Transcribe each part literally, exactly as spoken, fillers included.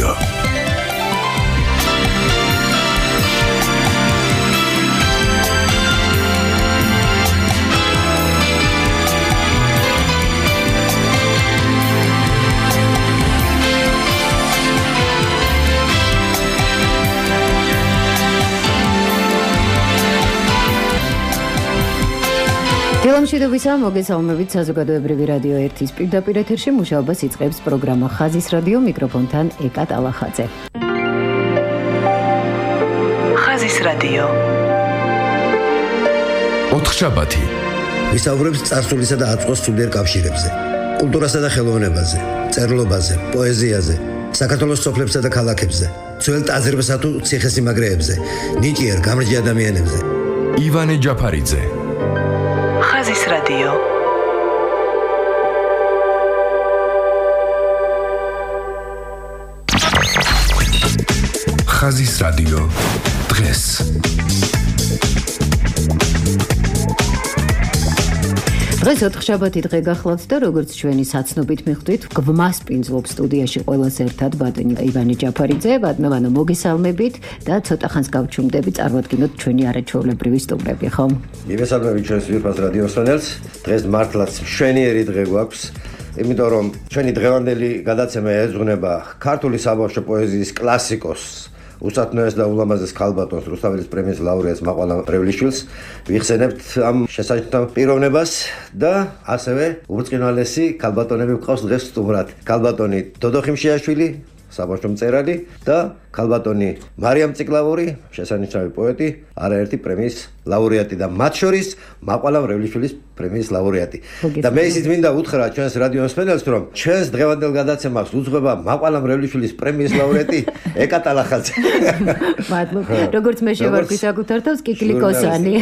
რადიო. დილამშვიდობისა, მოგესალმებით საზოგადოებრივი რადიო ერთის პირდაპირ ეთერში მუშაობას იწყებს პროგრამა ხაზის რადიო, მიკროფონთან ეკა ტალახაძე. ხაზის რადიო. ოთხშაბათი. ვისაუბრებს წარსულისა და აწმყოს სულიერ კავშირებზე, კულტურასა და ხელოვნებაზე, წერლობაზე, პოეზიაზე, საქართველოს სოფლებსა და ქალაქებზე, ძველ ტაძრებსა თუ ციხესიმაგრეებზე, ნიჭიერ გამრჯი ადამიანებზე. ივანე ჯაფარიძე. ხაზის რადიო. ხაზის რადიო დღეს. დღეს ოთხშაბათი დღე გახლავთ და როგორც ჩვენი საცნობით მიხვდით, გვმასპინძლობს სტუდიაში ყველას ერთად ბატონი ივანე ჯაფარიძე. ბატონო, მოგესალმებით და ცოტა ხანს გავჩუმდები წარმოვადგინოთ ჩვენი არაჩვეულებრივი სტუმრები, ხო? მივესალმებით ჩვენს ვირფას რადიო მსმენელს. დღეს მართლაც მშვენიერი დღე გვაქვს, იმიტომ რომ ჩვენი დღევანდელი გადაცემა ეძღვნება ქართული საბავშვო პოეზიის კლასიკოსს, უსათნოეს და ულამაზეს ქალბატონს, რუსთაველის პრემიის ლაურეატს მაყვალა მრევლიშვილს ვიხსენებთ ამ შესანიშნავ პიროვნებას და ასევე უბრწყინვალესი ქალბატონები გვყავს დღეს სტუმრად. ქალბატონი დოდო ხიმშიაშვილი, საბავშვო მწერალი და ქალბატონი მარიამ ციკლავური, შესანიშნავი პოეტი, არაერთი პრემიის ლაურეატი და მათ შორის მაყვალა მრევლიშვილის პრემიის ლაურეატი. და მე ისიც მინდა უთხრა ჩვენს რადიო მსმენელს, რომ ჩვენს დღევანდელ გადაცემას უძღვება მაყვალა მრევლიშვილის პრემიის ლაურეატი ეკა ტალახაძე. მადლობა. როგორც მე შევარქვი საკუთარ თავს, კიკლიკოსანი.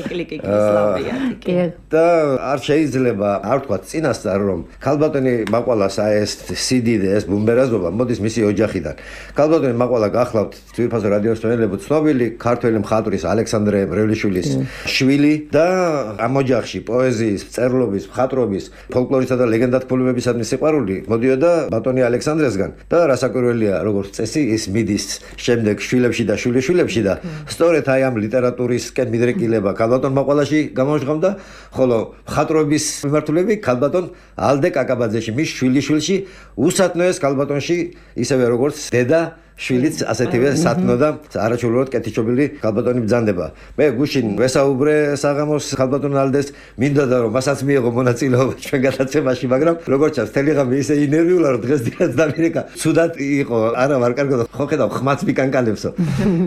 კიკლიკოს ლაურეატი. და არ შეიძლება არ თქვა წინასწარ, რომ ქალბატონი მაყვალას ეს სიდიდე, ეს ბუმბერაზობა მოდის მისი ოჯახიდან. ქალბატონი მაყვალა გახლავთ ვირფას რადიო მსმენელებო, ცნობილი ქართველი მხატვრის ალექსანდრე მრევლიშვილის შვილი და ამ ოჯახში პოეზიის, წერლობის, მხატვრობის, ფოლკლორისა და ლეგენდათმულობებისადმი სიყვარული მოდიოდა ბატონი ალექსანდრესგან და რასაკვირველია, როგორც წესი, ის მიდის შემდეგ შვილებში და შვილიშვილებში და სწორედ აი ამ ლიტერატურისკენ მიდრეკილება ქალბატონ მაყვალაში გამოჟღავდა, ხოლო მხატვრობის მიმართულები ქალბატონ ალდე კაკაბაძეში, მის შვილიშვილში, უსათნოეს ქალბატონში, ისევე როგორც დედა შვილიც ასეთივე სათნო და არაჩვეულებრივად კეთილშობილი ქალბატონი ბრძანდება. მე გუშინ ვესაუბრე საღამოს ქალბატონ ალდეს, მინდოდა რომ მასაც მიიღო მონაწილეობა ჩვენ გადაცემაში, მაგრამ როგორც ჩანს მთელი ღამე ისე ინერვიულა, რომ დღეს დილაც დამირეკა. ცუდად იყო, არა ვარ კარგად, ხო ხედავ ხმაც მიკანკალებსო.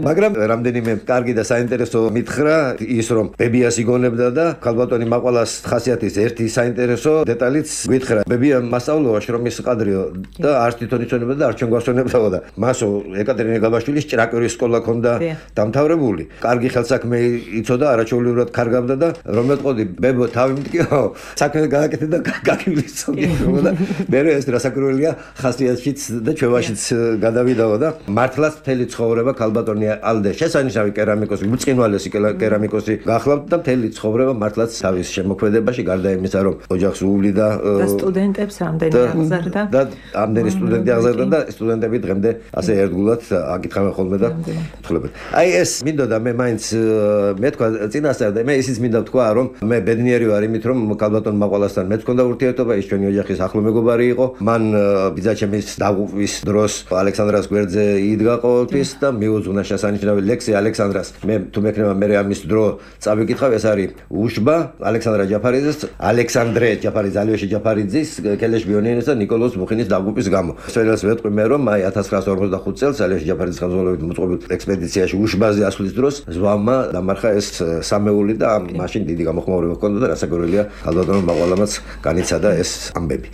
მაგრამ რამდენიმე კარგი და საინტერესო მითხრა ის, რომ ბებიას იგონებდა და ქალბატონი მაყვალას ხასიათის ერთი საინტერესო დეტალიც გითხრა. ბებია მასწავლოა შრომის ყადრიო და არც თვითონ იცოდებოდა და არც ჩვენ გვასწავლებდა და მასო ეკატერინე გაბაშვილის ჭრაკვირის სკოლა ქონდა დამთავრებული. კარგი ხელსაქმე იცოდა, არაჩვეულებრივად კარგავდა და რომელტყოდი ბებო თავი მტკიო, საქმე გააკეთე და გაგივლისო და მე ეს რასაკვირველია ხასიათშიც და ჩვევაშიც გადავიდაო და მართლაც მთელი ცხოვრება ქალბატონი ალდე შესანიშნავი კერამიკოსი, უწყინვალესი კერამიკოსი გახლავთ და მთელი ცხოვრება მართლაც თავის შემოქმედებაში, გარდა იმისა, რომ ოჯახს უვლიდა და სტუდენტებს ამდენი აღზარდა და ამდენი სტუდენტი აღზარდა და სტუდენტები დღემდე ასე ერთგულად აკითხავენ ხოლმე და თხოვებენ. აი ეს მინდოდა მე მაინც მე თქვა წინასწარ და მე ისიც მინდა თქვა, რომ მე ბედნიერი ვარ იმით, რომ ქალბატონ მაყვალასთან მეც მქონდა ურთიერთობა, ის ჩვენი ოჯახის ახლო მეგობარი იყო. მან ბიძაჩემის დაღუპვის დროს ალექსანდრას გვერდზე იდგა ყოველთვის და მიუძღვნა შესანიშნავი ლექსი ალექსანდრას. მე თუ მექნება მე ამის დრო წავიკითხავ, ეს არის უშბა ალექსანდრა ჯაფარიძეს, ალექსანდრე ჯაფარიძე, ალიოშე ჯაფარიძის, კელეშ ბიონიანის და ნიკოლოზ მუხინის დაღუპვის გამო. სველას ვეტყვი მე, რომ აი ათას ცხრაასი ორმოცდახუთი წელს ალიოშე ჯაფარიძის ხელმძღვანელობით მოწყობილ ექსპედიციაში უშბაზე ასვლის დროს ზვავმა დამარხა ეს სამეული და მაშინ დიდი გამოხმაურება ჰქონდა და რასაკვირველია, ქალბატონ მაყვალამაც განიცადა ეს ამბები.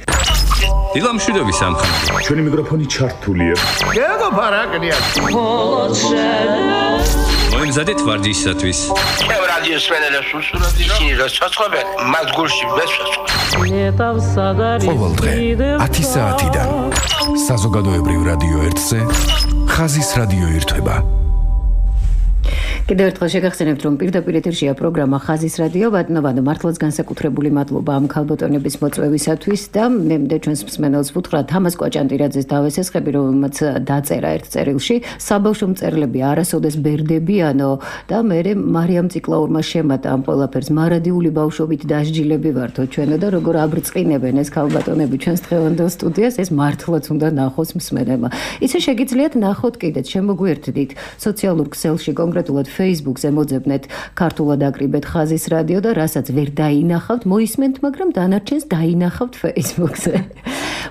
დილამშვიდობის სამხატვრო. ჩვენი მიკროფონი ჩართულია. გეგო ფარაკნია. მოიმზადეთ ვარჯიშისათვის. ჩემ რადიოს მსმენელებს უსურვებთ ისინი რომ ცოცხლობენ, მათ გულში ვესვეცო. ყოველდღე ათი საათიდან საზოგადოებრივ რადიო ერთზე ხაზის რადიო ირთვება. კიდევ ერთხელ შეგახსენებთ, რომ პირდაპირ ეთერშია პროგრამა ხაზის რადიო, ბატონო, მართლაც განსაკუთრებული მადლობა ამ ქალბატონების მოწვევისათვის და მე მინდა ჩვენს მსმენელს ვუთხრა თამაზ კვაჭანტირაძეს დავესესხები, რომელმაც დაწერა ერთ წერილში, საბავშვო მწერლები არასოდეს ბერდებიანო და მე მარიამ ციკლაურმა შემატა ამ ყველაფერს, მარადიული ბავშვობით დასჯილები ვართო ჩვენო და როგორ აბრწყინებენ ეს ქალბატონები ჩვენს დღევანდელ სტუდიას, ეს მართლაც უნდა ნახოს მსმენელმა. იცი შეგიძლიათ ნახოთ კიდეც, შემოგვიერთდით სოციალურ ქსელში, კონკრეტულად Facebook-ზე მოძებნეთ ქართულად აკრიბეთ ხაზის რადიო და რასაც ვერ დაინახავთ, მოისმენთ, მაგრამ დანარჩენს დაინახავთ Facebook-ზე.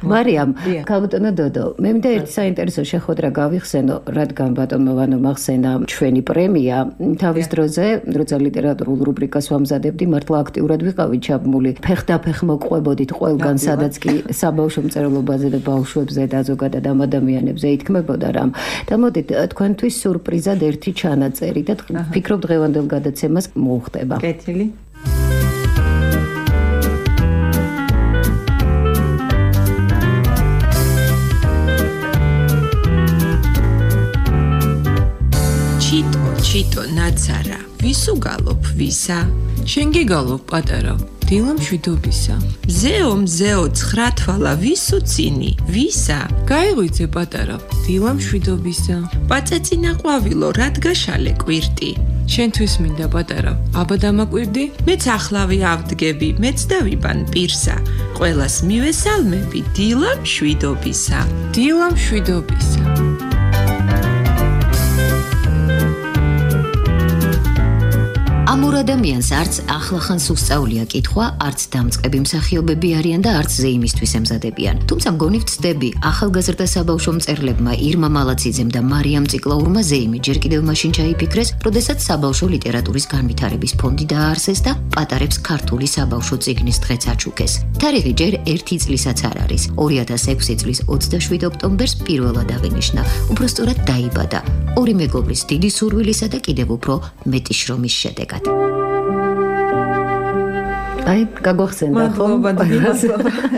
მარიამ, ქალბატონო დოდო, მე მინდა ერთი საინტერესო შეხვედრა გავიხსენო, რადგან ბატონმა ვანომ ახსენა ჩვენი პრემია, თავის დროზე, როცა ლიტერატურულ რუბრიკას ვამზადებდი, მართლა აქტიურად ვიყავი ჩაბმული. ფეხდაფეხ მოყვებოდით ყველგან, სადაც კი საბავშვო მწერლობაზე და ბავშვებზე და ზოგადად ამ ადამიანებზე ითქმებოდა რამ. და მოდით თქვენთვის სურპრიზად ერთი ჩანაწერი და ფიქრობ დღევანდელ გადაცემას მოუხდება. კეთილი. ჩიტო, ჩიტო, ნაცარა, ვისუ გალობ, ვისა? შენ გიგალობ, პატარა, დილა მშვიდობისა. მზეო, მზეო, ცხრა თვალა, ვისუ წინი, ვისა? გაიღვიძე, პატარა, დილა მშვიდობისა. პაწეცინა ყვავილო, რადგაშალე კვირტი. შენთვის მინდა, პატარა, აბა დამაკვირდი? მეც ახლავე ავდგები, მეც დავიბან პირსა. ყველას მივესალმები, დილა მშვიდობისა. დილა მშვიდობისა. ამურ ადამიანს არც ახლახან სუსწაულია კითხვა, არც დამწყები მსახიობები არიან და არც ზეიმისთვის ემზადებიან. თუმცა მგონი ვწდები, ახალგაზრდა საბავშვო მწერლებმა ირმა მალაციძემ და მარიამ ციკლაურმა ზეიმი ჯერ კიდევ მაშინ ჩაიფიქრეს, როდესაც საბავშვო ლიტერატურის განვითარების ფონდი დააარსეს და პატარებს ქართული საბავშვო წიგნის დღეც აჩუქეს. თარიღი ჯერ ერთი წლისაც არ არის. ორი ათას ექვსი წლის ოცდაშვიდ ოქტომბერს პირველად აღინიშნა. უბრალოდ დაიბადა. ორი მეგობრის დიდი სურვილისა და კიდევ უფრო მეტი შრომის შედეგად. აი, გაგვახსენდა ხომ?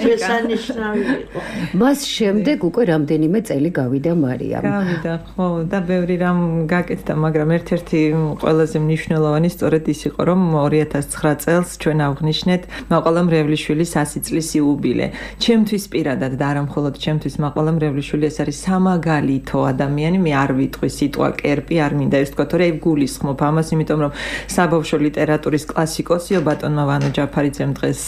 შესანიშნავი იყო. მას შემდეგ უკვე რამდენიმე წელი გავიდა მარიამ. გავიდა, ხო, და ბევრი რამ გაკეთდა, მაგრამ ერთ-ერთი ყველაზე მნიშვნელოვანი სწორედ ის იყო, რომ ორი ათას ცხრა წელს ჩვენ ავღნიშნეთ მაყვალა მრევლიშვილის ასი წლის იუბილე. ჩემთვის პირადად და არა მხოლოდ ჩემთვის მაყვალა მრევლიშვილი ეს არის სამაგალითო ადამიანი, მე არ ვიტყვი სიტყვა კერპი, არ მინდა ეს თქვა, თორე გულისხმობ ამას, იმიტომ რომ საბავშვო ლიტერატურის კლასიკოსიო ბატონმა ვანო ჯაფარიძემ დღეს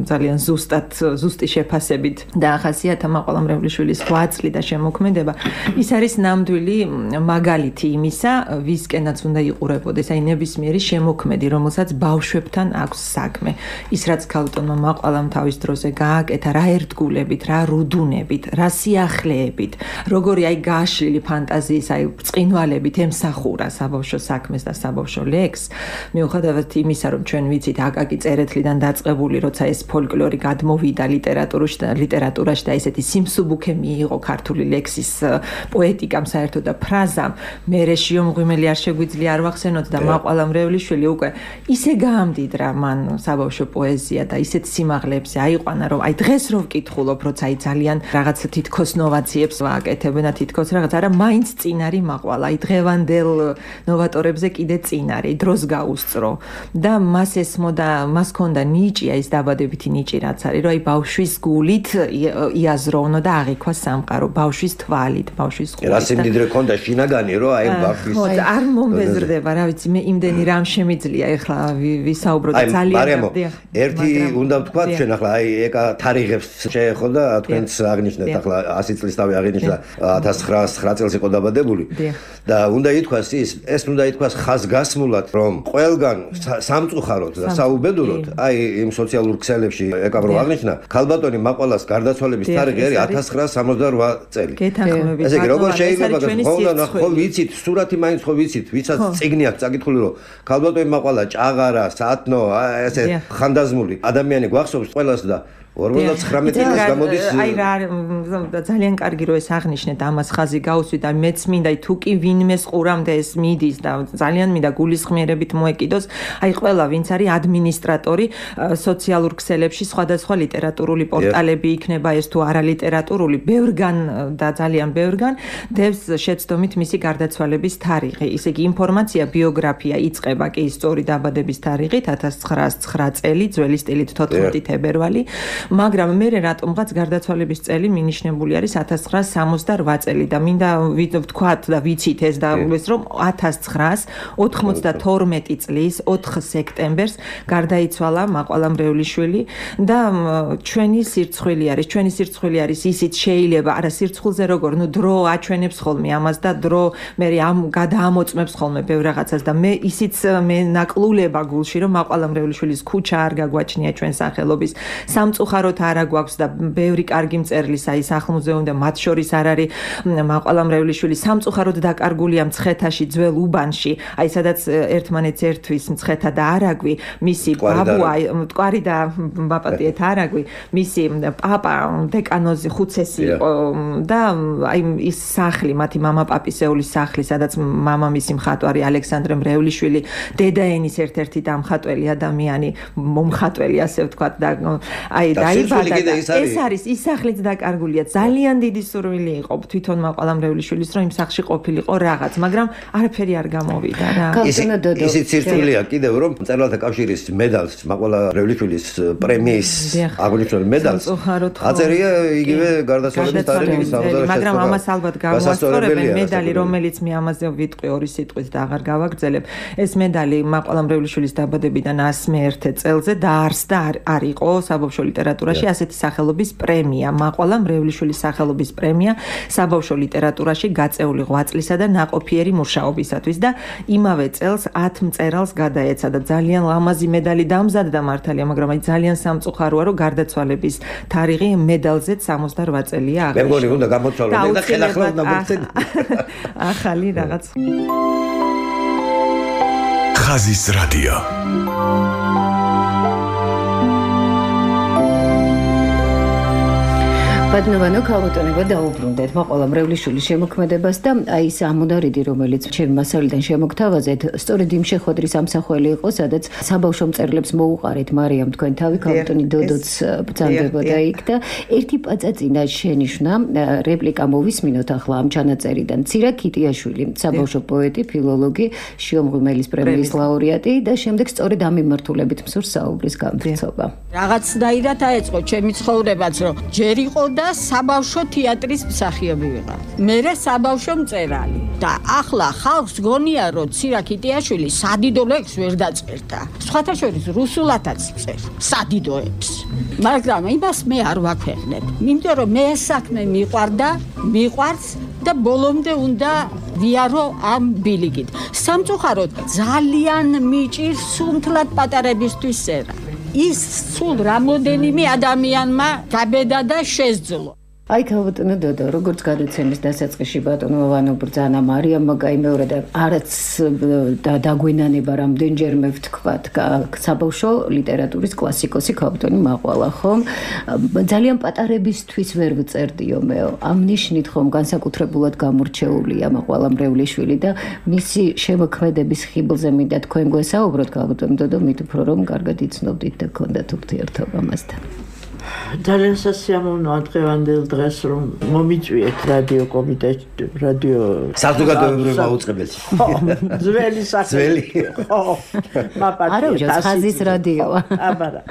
ძალიან ზუსტად ზუსტი შეფასებით დაახასიათა მაყვალა მრევლიშვილის ღვაწლი და შემოქმედება. ის არის ნამდვილი მაგალითი იმისა, ვისკენაც უნდა იყურებოდეს, აი ნებისმიერი შემოქმედი, რომელსაც ბავშვებთან აქვს საქმე. ის რაც ქალბატონმა მაყვალამ თავის დროზე გააკეთა, რა ერთგულებით, რა რუდუნებით, რა სიახლეებით, როგორი აი გაშლილი ფანტაზიის, აი ბრწყინვალებით ემსახურა საბავშვო საქმეს და საბავშვო ლექსს, მიუხედავად იმისა, რომ ჩვენ ვიცით აკაკი წერეთლიდან დაწყებული, როცა ეს ფოლკლორი გადმოვიდა ლიტერატურაში და ლიტერატურაში და ესეთი სიმსუბუქე მიიღო ქართული ლექსის პოეტიკამ საერთოდ და ფრაზამ, მე რეშიო მღვიმელი არ შეგვიძლია არ ვახსენოთ და მაყვალა მრევლიშვილი უკვე ისე გაამდიდრა მან საბავშვო პოეზია და ისეთ სიმაღლეებზე აიყვანა, რომ აი დღეს რო ვკითხულობ, როცა აი ძალიან რაღაც თითქოს ნოვაციებს ვაკეთებენ და თითქოს რაღაც არა, მაინც წინარი მაყვალა, აი დღევანდელ ნოვატორებზე კიდე წინარი, დროს გაუსწრო და მას ესმოდა, მას ქონდა ნიჭი, ეს დაბადებითი ნიჭი რაც არის, რომ აი ბავშვის გულით იაზროვნო და აღიქვა სამყარო, ბავშვის თვალით, ბავშვის ყურით. რა სიმდიდრე ქონდა შინაგანი, რომ აი ბავშვის არ მომბეზრდება, რა ვიცი, მე იმდენი რამ შემიძლია ეხლა ვისაუბრო და ძალიან გარდია. ერთი უნდა ვთქვათ, ჩვენ ახლა აი ეკა თარიღებს შეეხო და თქვენც აღნიშნეთ ახლა ასი წლის თავი აღინიშნა ათას ცხრაასი წელს იყო დაბადებული და უნდა ითქვას ის, ეს უნდა ითქვას ხაზგასმულად, რომ ყველგან სამწუხაროდ და საუბედუროდ აი იმ სოციალურ ქსელებში ეკავრო აღნიშნა ქალბატონი მაყვალას გარდაცვალების თარიღი არის ათას ცხრაასი სამოცდარვა წელი. გეთანხმებით. ესე იგი როგორ შეიძლება გახსოვნა, ხო ვიცით, სურათი მაინც ხო ვიცით, ვისაც წიგნი აქვს წაკითხული, რომ ქალბატონი მაყვალა ჭაღარა, სათნო, ესე ხანდაზმული ადამიანი გვახსოვს ყველას და ორმოცდათხრამეტი წელს გამოდის აი რა ძალიან კარგი რომ ეს აღნიშნეთ ამას ხაზი გაუსვით და მეც მინდა თუ კი ვინმეს ყურამდე ეს მიდის და ძალიან მინდა გულისხმიერებით მოეკიდოს აი ყველა ვინც არის ადმინისტრატორი სოციალურ ქსელებში სხვადასხვა ლიტერატურული პორტალები იქნება ეს თუ არა ლიტერატურული ბევრგან და ძალიან ბევრგან დევს შეცდომით მისი გარდაცვალების თარიღი ისე იგი ინფორმაცია ბიოგრაფია იწყება კი სწორი დაბადების თარიღით ათას ცხრაას ცხრა წელი ძველი სტილით თოთხმეტი თებერვალი მაგრამ მე რატომღაც გარდაცვალების წელი მინიშნებული არის ათას ცხრაას სამოცდარვა წელი და მინდა ვთქვათ და ვიცით ეს და ეს რომ ათას ცხრაას ოთხმოცდათორმეტი წლის ოთხ სექტემბერს გარდაიცვალა მაყვალა მრევლიშვილი და ჩვენი სირცხვილი არის ჩვენი სირცხვილი არის ისიც შეიძლება არა სირცხვილზე როგორ ნუ დრო აჩვენებს ხოლმე ამას და დრო მე ამ გადაამოწმებს ხოლმე ბევრ რაღაცას და მე ისიც მე ნაკლულება გულში რომ მაყვალა მრევლიშვილის ქუჩა არ გაგვაჩნია ჩვენ სახელობის სამწუხაროდ არა გვაქვს და ბევრი კარგი მწერლის აი სახლ-მუზეუმი და მათ შორის არ არის მაყვალა მრევლიშვილი სამწუხაროდ დაკარგულია მცხეთაში ძველ უბანში აი სადაც ერთმანეთს ერთვის მცხეთა და არაგვი მისი ბაბუა მტკვარი და ბაპატიეთ არაგვი მისი პაპა დეკანოზი ხუცესი იყო და აი ის სახლი მათი მამა პაპისეულის სახლი სადაც მამამისი მხატვარი ალექსანდრე მრევლიშვილი დედაენის ერთ-ერთი დამხატველი ადამიანი მომხატველი ასე ვთქვათ და აი დაიბადა ეს არის ის სახლიც დაკარგულია ძალიან დიდი სურვილი იყო თვითონ მაყვალა მრევლიშვილის რომ იმ სახლში ყოფილიყო რაღაც მაგრამ არაფერი არ გამოვიდა რა ისიც სირთულეა კიდევ რომ მწერალთა კავშირის მედალს მაყვალა მრევლიშვილის პრემიის აღნიშნულ მედალს აწერია იგივე გარდაცვალების თარიღის სამოცდაშვიდ მაგრამ ამას ალბათ გავასწორებენ მედალი რომელიც მე ამაზე ვიტყვი ორი სიტყვით და აღარ გავაგრძელებ ეს მედალი მაყვალა მრევლიშვილის დაბადებიდან ასმეერთე წელზე დაარსდა არ იყო საბავშვო ლიტერატურაში ასეთი სახელობის პრემია მაყვალა მრევლიშვილის სახელობის პრემია საბავშვო ლიტერატურაში გაწეული ღვაწლისა და ნაყოფიერი მუშაობისათვის და იმავე წელს ათ მწერალს გადაეცა და ძალიან ლამაზი მედალი დამზადდა მართალია მაგრამ აი ძალიან სამწუხაროა რომ გარდაცვალების თარიღი მედალზეც სამოცდარვა წელია აღნიშნა მე მგონი უნდა გამოცვალო და ხელახლა უნდა მოგცეთ ახალი რაღაც ხაზის რადიო ბატონო ქალბატონებო დაუბრუნდეთ მაყვალა მრევლიშვილის შემოქმედებას და აი ეს ამონარიდი რომელიც ჩემი მასალიდან შემოგთავაზეთ სწორედ იმ შეხვედრის ამსახველი იყო სადაც საბავშვო მწერლებს მოუყარეთ მარიამ თქვენ თავი ქალბატონი დოდოც ბრძანდებოდა იქ და ერთი პაწაწინა შენიშვნა რეპლიკა მოვისმინოთ ახლა ამ ჩანაწერიდან ცირა ქიტიაშვილი საბავშვო პოეტი ფილოლოგი შიომღვიმელის პრემიის ლაურეატი და შემდეგ სწორედ ამ მიმართულებით მსურს საუბრის გამწრობა რაღაცნაირად აეწყო ჩემი ცხოვრებაც რომ ჯერ იყო და საბავშვო თეატრის მსახიობი ვიყავ. მერე საბავშვო მწერალი და ახლა ხალხს გონია რომ ცირა ქიტიაშვილი სადიდო ლექს ვერ დაწერდა. სხვათა შორის რუსულათაც წერ სადიდოებს. მაგრამ იმას მე არ ვაქვეყნებ. იმიტომ რომ მე ეს საქმე მიყვარდა, მიყვარს და ბოლომდე უნდა ვიარო ამ ბილიკით. სამწუხაროდ ძალიან მიჭირს სუნთლად პატარებისთვის სერა. ის სულ რამოდენიმე ადამიანმა გაბედა და შესძლო. აი ქალბატონო დოდო როგორც გადაცემის დასაწყისში ბატონო ვანო ბრძანა მარიამმა გაიმეორა და არაც დაგვენანება რამდენჯერმე ვთქვათ საბავშვო ლიტერატურის კლასიკოსი ქალბატონი მაყვალა ხომ ძალიან პატარებისთვის ვერ ვწერდიო მეო ამ ნიშნით ხომ განსაკუთრებულად გამორჩეულია მაყვალა მრევლიშვილი და მისი შემოქმედების ხიბლზე მინდა თქვენ გვესაუბროთ ქალბატონო დოდო მით უფრო რომ კარგად იცნობდით და გქონდათ ურთიერთობა მასთან ძალიან სასიამოვნოა დღევანდელ დღეს რომ მომიწვიეთ რადიო კომიტეტი რადიო საზოგადოებრივ მაუწყებელში ძველი საქმე ხო მაპატია ხაზის რადიოა აბარა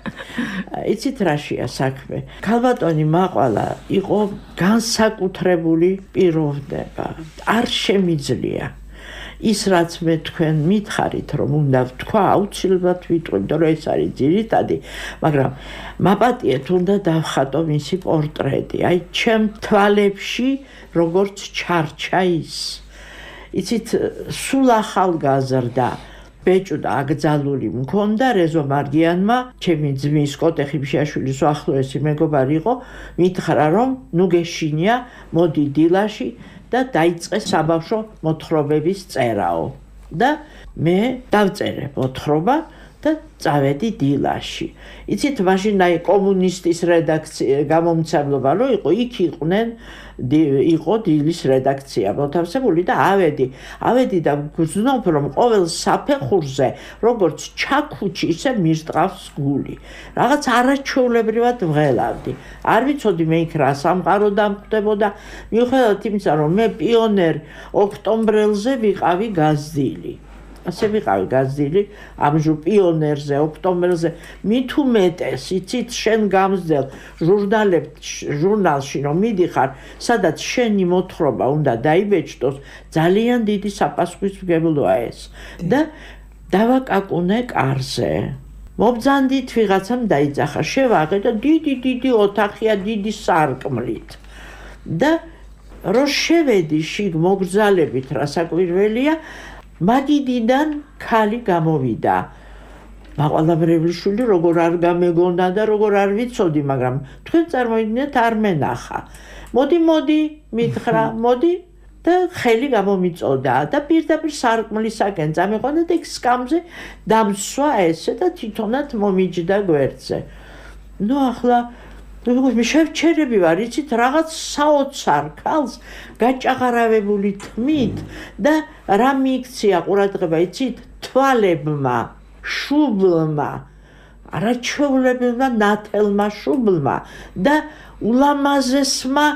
იცით რაშია საქმე ქალბატონი მაყვალა იყო განსაკუთრებული პიროვნება არ შემიძლია ის რაც მე თქვენ მითხარით რომ უნდა ვთქვა აუცილებლად ვიტყვი იმიტომ რომ ეს არის ძირითადი მაგრამ მაპატიეთ უნდა დავხატო მისი პორტრეტი აი ჩემ თვალებში როგორც ჩარჩა ის იცით სულ ახალგაზრდა ბეჭუ და აკრძალული მქონდა რეზო მარგიანმა ჩემი ძმის კოტეხი ბიშაშვილის უახლოესი მეგობარი იყო მითხრა რომ ნუ გეშინია მოდი დილაში და დაიწყე საბავშვო მოთხრობების წერაო და მე დავწერე მოთხრობა და წავედი დილაში. იცით, მაშინ აი კომუნისტის რედაქცია გამომცემლობა რო იყო, იქ იყვნენ იყო დილის რედაქცია მოთავსებული და ავედი. ავედი და გრძნობ რომ ყოველ საფეხურზე როგორც ჩაქუჩი, ისე მირტყავს გული. რაღაც არაჩვეულებრივად ვღელავდი. არ ვიცოდი მე იქ რა სამყარო დამკვდებოდა, მიუხედავად იმისა, რომ მე პიონერ ოქტომბრელზე ვიყავი გაზდილი. ასე ვიყავი გაზდილი ამჟუ პიონერზე, ოქტომბერზე, მით უმეტეს, იცით, შენ გამზდელ ჟურნალში რომ მიდიხარ, სადაც შენი მოთხრობა უნდა დაიბეჭდოს, ძალიან დიდი საპასუხისმგებლოა ეს. და დავაკაკუნე კარზე. მობძანდით ვიღაცამ დაიძახა, შევაღე და დიდი დიდი ოთახია დიდი სარკმლით. და რო შევედი შიგ მოგრძალებით, რასაკვირველია, მაგიდიდან ქალი გამოვიდა. მაყვალაბრევლიშვილი როგორ არ გამეგონა და როგორ არ ვიცოდი, მაგრამ თქვენ წარმოიდგინეთ არ მენახა. მოდი, მოდი, მითხრა, მოდი და ხელი გამომიწოდა და პირდაპირ სარკმლისაკენ წამიყვანა და იქ სკამზე დამსვა ესე და თვითონაც მომიჯდა გვერდზე. ნუ ახლა მე შევჩერები ვარ, იცით, რაღაც საოცარ ქალს გაჭაღარავებული თმით და რა მიიქცია ყურადღება, იცით, თვალებმა, შუბლმა, არაჩვეულებელმა ნათელმა შუბლმა და ულამაზესმა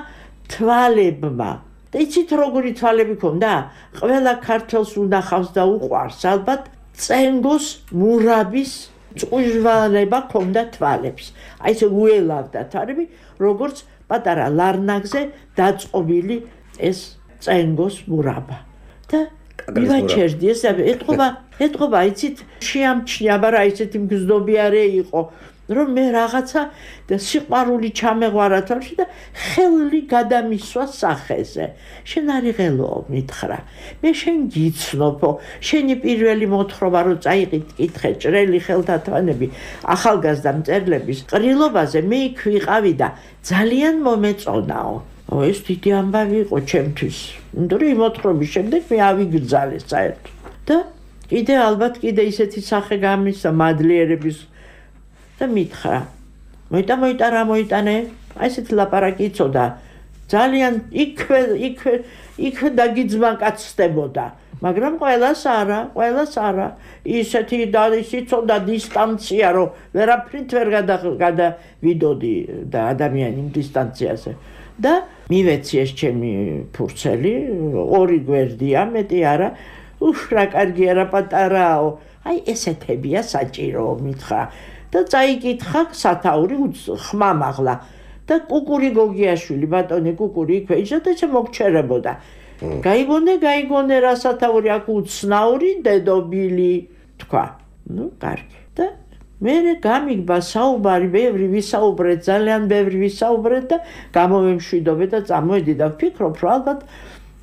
თვალებმა. და იცით, როგორი თვალები ქონდა? ყველა ქართველს უნახავს და უყვარს, ალბათ წენგოს მურაბის წუჟვალება ქონდა თვალებს. აი ესე უელავდა თვალები, როგორც პატარა ლარნაგზე დაწყობილი ეს წენგოს მურაბა. და მივაჩერდი ეს ეთყობა, ეთყობა, იცით, შეამჩნია, მაგრამ ისეთი მგზნობიარე იყო, რომ მე რაღაცა და სიყვარული ჩამეღვარა თვალში და ხელი გადამისვა სახეზე. შენ არიღელო, მითხრა. მე შენ გიცნობო, შენი პირველი მოთხრობა რო წაიყიდ კითხე ჭრელი ხელთათვანები ახალგაზრდა მწერლების ყრილობაზე, მე იქ ვიყავი და ძალიან მომეწონაო. ო ეს დიდი ამბავი იყო ჩემთვის. იმიტომ რომ მოთხრობის შემდეგ მე ავიგრძალე საერთოდ. და კიდე ალბათ კიდე ისეთი სახე გამისცა მადლიერების და მითხრა, მოიტა, მოიტა, რა მოიტანე? აი ესეთი ლაპარაკი იცოდა. ძალიან იქვე, იქვე, იქვე დაგიძმაკაცდებოდა. მაგრამ ყველას არა, ყველას არა. ისეთი და იცოდა დისტანცია, რომ ვერაფრით ვერ გადავიდოდი და ადამიანი დისტანციაზე. და მივეცი ეს ჩემი ფურცელი, ორი გვერდია, მეტი არა. უფ, რა კარგია, რა პატარაო. აი ესეთებია საჭირო, მითხრა. და წაიკითხა სათაური ხმა მაღლა და კუკური გოგიაშვილი, ბატონი კუკური იქვე იჯდა და შემოგჩერებოდა. გაიგონე, გაიგონე რა სათაური აქ უცნაური დედობილი თქვა. ნუ კარგი. და მე გამიგბა საუბარი, ბევრი ვისაუბრეთ, ძალიან ბევრი ვისაუბრეთ და გამოვემშვიდობე და წამოვედი და ვფიქრობ, რომ ალბათ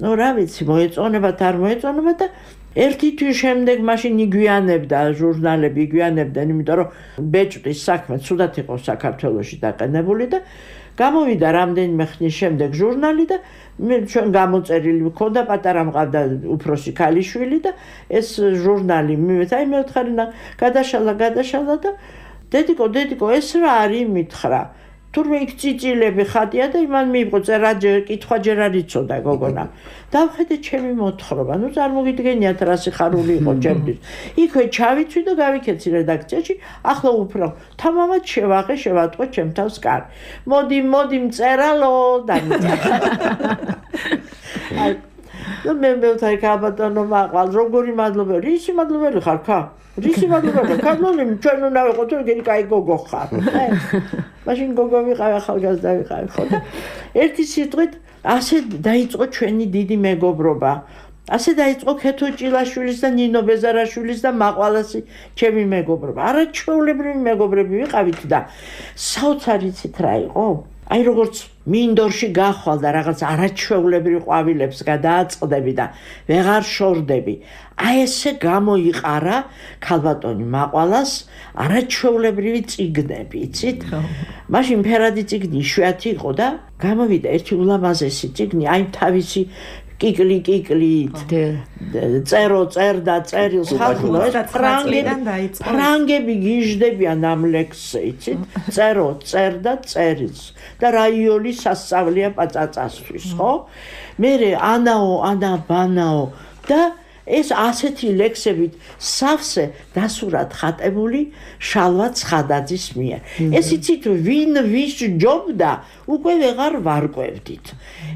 ნუ რა ვიცი, მოეწონებათ, არ მოეწონებათ და ერთი თვის შემდეგ მაშინ იგვიანებდა ჟურნალები, იგვიანებდნენ, იმიტომ რომ ბეჭდის საქმე ცუდად იყო საქართველოში დაყენებული და გამოვიდა რამდენიმე ხნის შემდეგ ჟურნალი და მე ჩვენ გამოწერილი მქონდა, პატარა მყავდა უფროსი ქალიშვილი და ეს ჟურნალი მივეცა, აი მეოთხარინა გადაშალა, გადაშალა და დედიკო, დედიკო, ეს რა არის მითხრა. თურმე იქ წიწილები ხატია და იმან მიიღო წერა კითხვა ჯერ არ იცოდა გოგონა. დავხედე ჩემი მოთხრობა, ნუ წარმოგიდგენიათ რა სიხარული იყო ჩემთვის. იქვე ჩავიცვი და გავიქეცი რედაქციაში, ახლა უფრო თამამად შევაღე, შევატყო ჩემ თავს კარ. მოდი, მოდი მწერალო და და მე მეუთხარი ქაბატონო მაყვალ, როგორი მადლობელი, ისი მადლობელი ხარ ხა? რისი მადლობელი? ქართული ჩვენ უნდა ვიყოთ, რომ გენი კაი გოგო ხარ. მაშინ გოგო ვიყავი, ახალგაზრდა ვიყავი, ხო და ერთი სიტყვით ასე დაიწყო ჩვენი დიდი მეგობრობა. ასე დაიწყო ქეთო ჭილაშვილის და ნინო ბეზარაშვილის და მაყვალასი ჩემი მეგობრობა. არაჩვეულებრივი მეგობრები ვიყავით და საოცარი ცით რა იყო? აი როგორც მინდორში გახვალ და რაღაც არაჩვეულებრივ ყვავილებს გადააწყდები და ვეღარ შორდები. აი ესე გამოიყარა ქალბატონი მაყვალას არაჩვეულებრივი წიგნები, იცით? მაშინ ფერადი წიგნი იშვიათი იყო და გამოვიდა ერთი ულამაზესი წიგნი, აი თავისი კიკლი კიკლით წერო წერდა წერილს ხალხო ეს ფრანგები ფრანგები გიждდებიან ამ ლექსზე იცით წერო წერდა წერილს და რაიოლი სასწავლია პაწაწასთვის ხო მე ანაო ანა ბანაო და ეს ასეთი ლექსებით სავსე დასურად ხატებული შალვა ცხადაძის მიერ. ეს იცით ვინ ვის ჯობდა უკვე ვეღარ ვარკვევდით.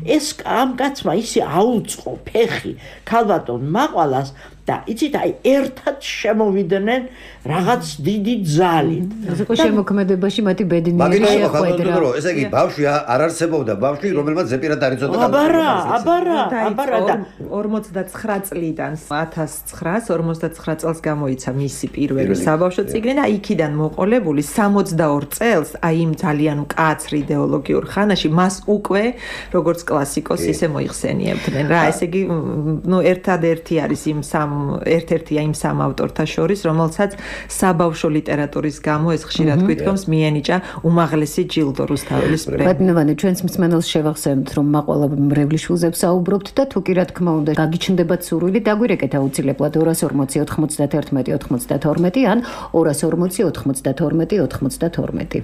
ეს ამ კაცმა ისე აუწყო ფეხი ქალბატონ მაყვალას და იცით აი ერთად შემოვიდნენ რაღაც დიდი ძალით. ასე შემოქმედებაში მათი ბედნიერი შეხვედრა. ესე იგი ბავშვი არ არსებობდა ბავშვი რომელმაც ზეპირად არ იცოდა აბარა აბარა აბარა და ორმოცდაცხრა წლიდან ათას ცხრაას ორმოცდაცხრა წელს გამოიცა მისი პირველი საბავშვო წიგნი და იქიდან მოყოლებული სამოცდაორ წელს აი იმ ძალიან მკაცრ იდეოლოგიურ ხანაში მას უკვე როგორც კლასიკოს ისე მოიხსენიებდნენ რა ესე იგი ნუ ერთადერთი არის იმ სამ ერთ-ერთია იმ სამ ავტორთა შორის რომელსაც საბავშვო ლიტერატურის გამო ეს ხშირად გვითქვამს მიენიჭა უმაღლესი ჯილდო რუსთაველის პრემია. ბატონო, ჩვენს მსმენელს შევახსენებთ რომ მაყვალა მრევლიშვილზე ვსაუბრობთ და თუ კი რა თქმა უნდა გაგიჩნდებათ სურვილი დაგვირეკეთ აუცილებლად ორას ორმოცი ოთხმოცდათერთმეტი ოთხმოცდათორმეტი ან ორას ორმოცი ოთხმოცდათორმეტი ოთხმოცდათორმეტი.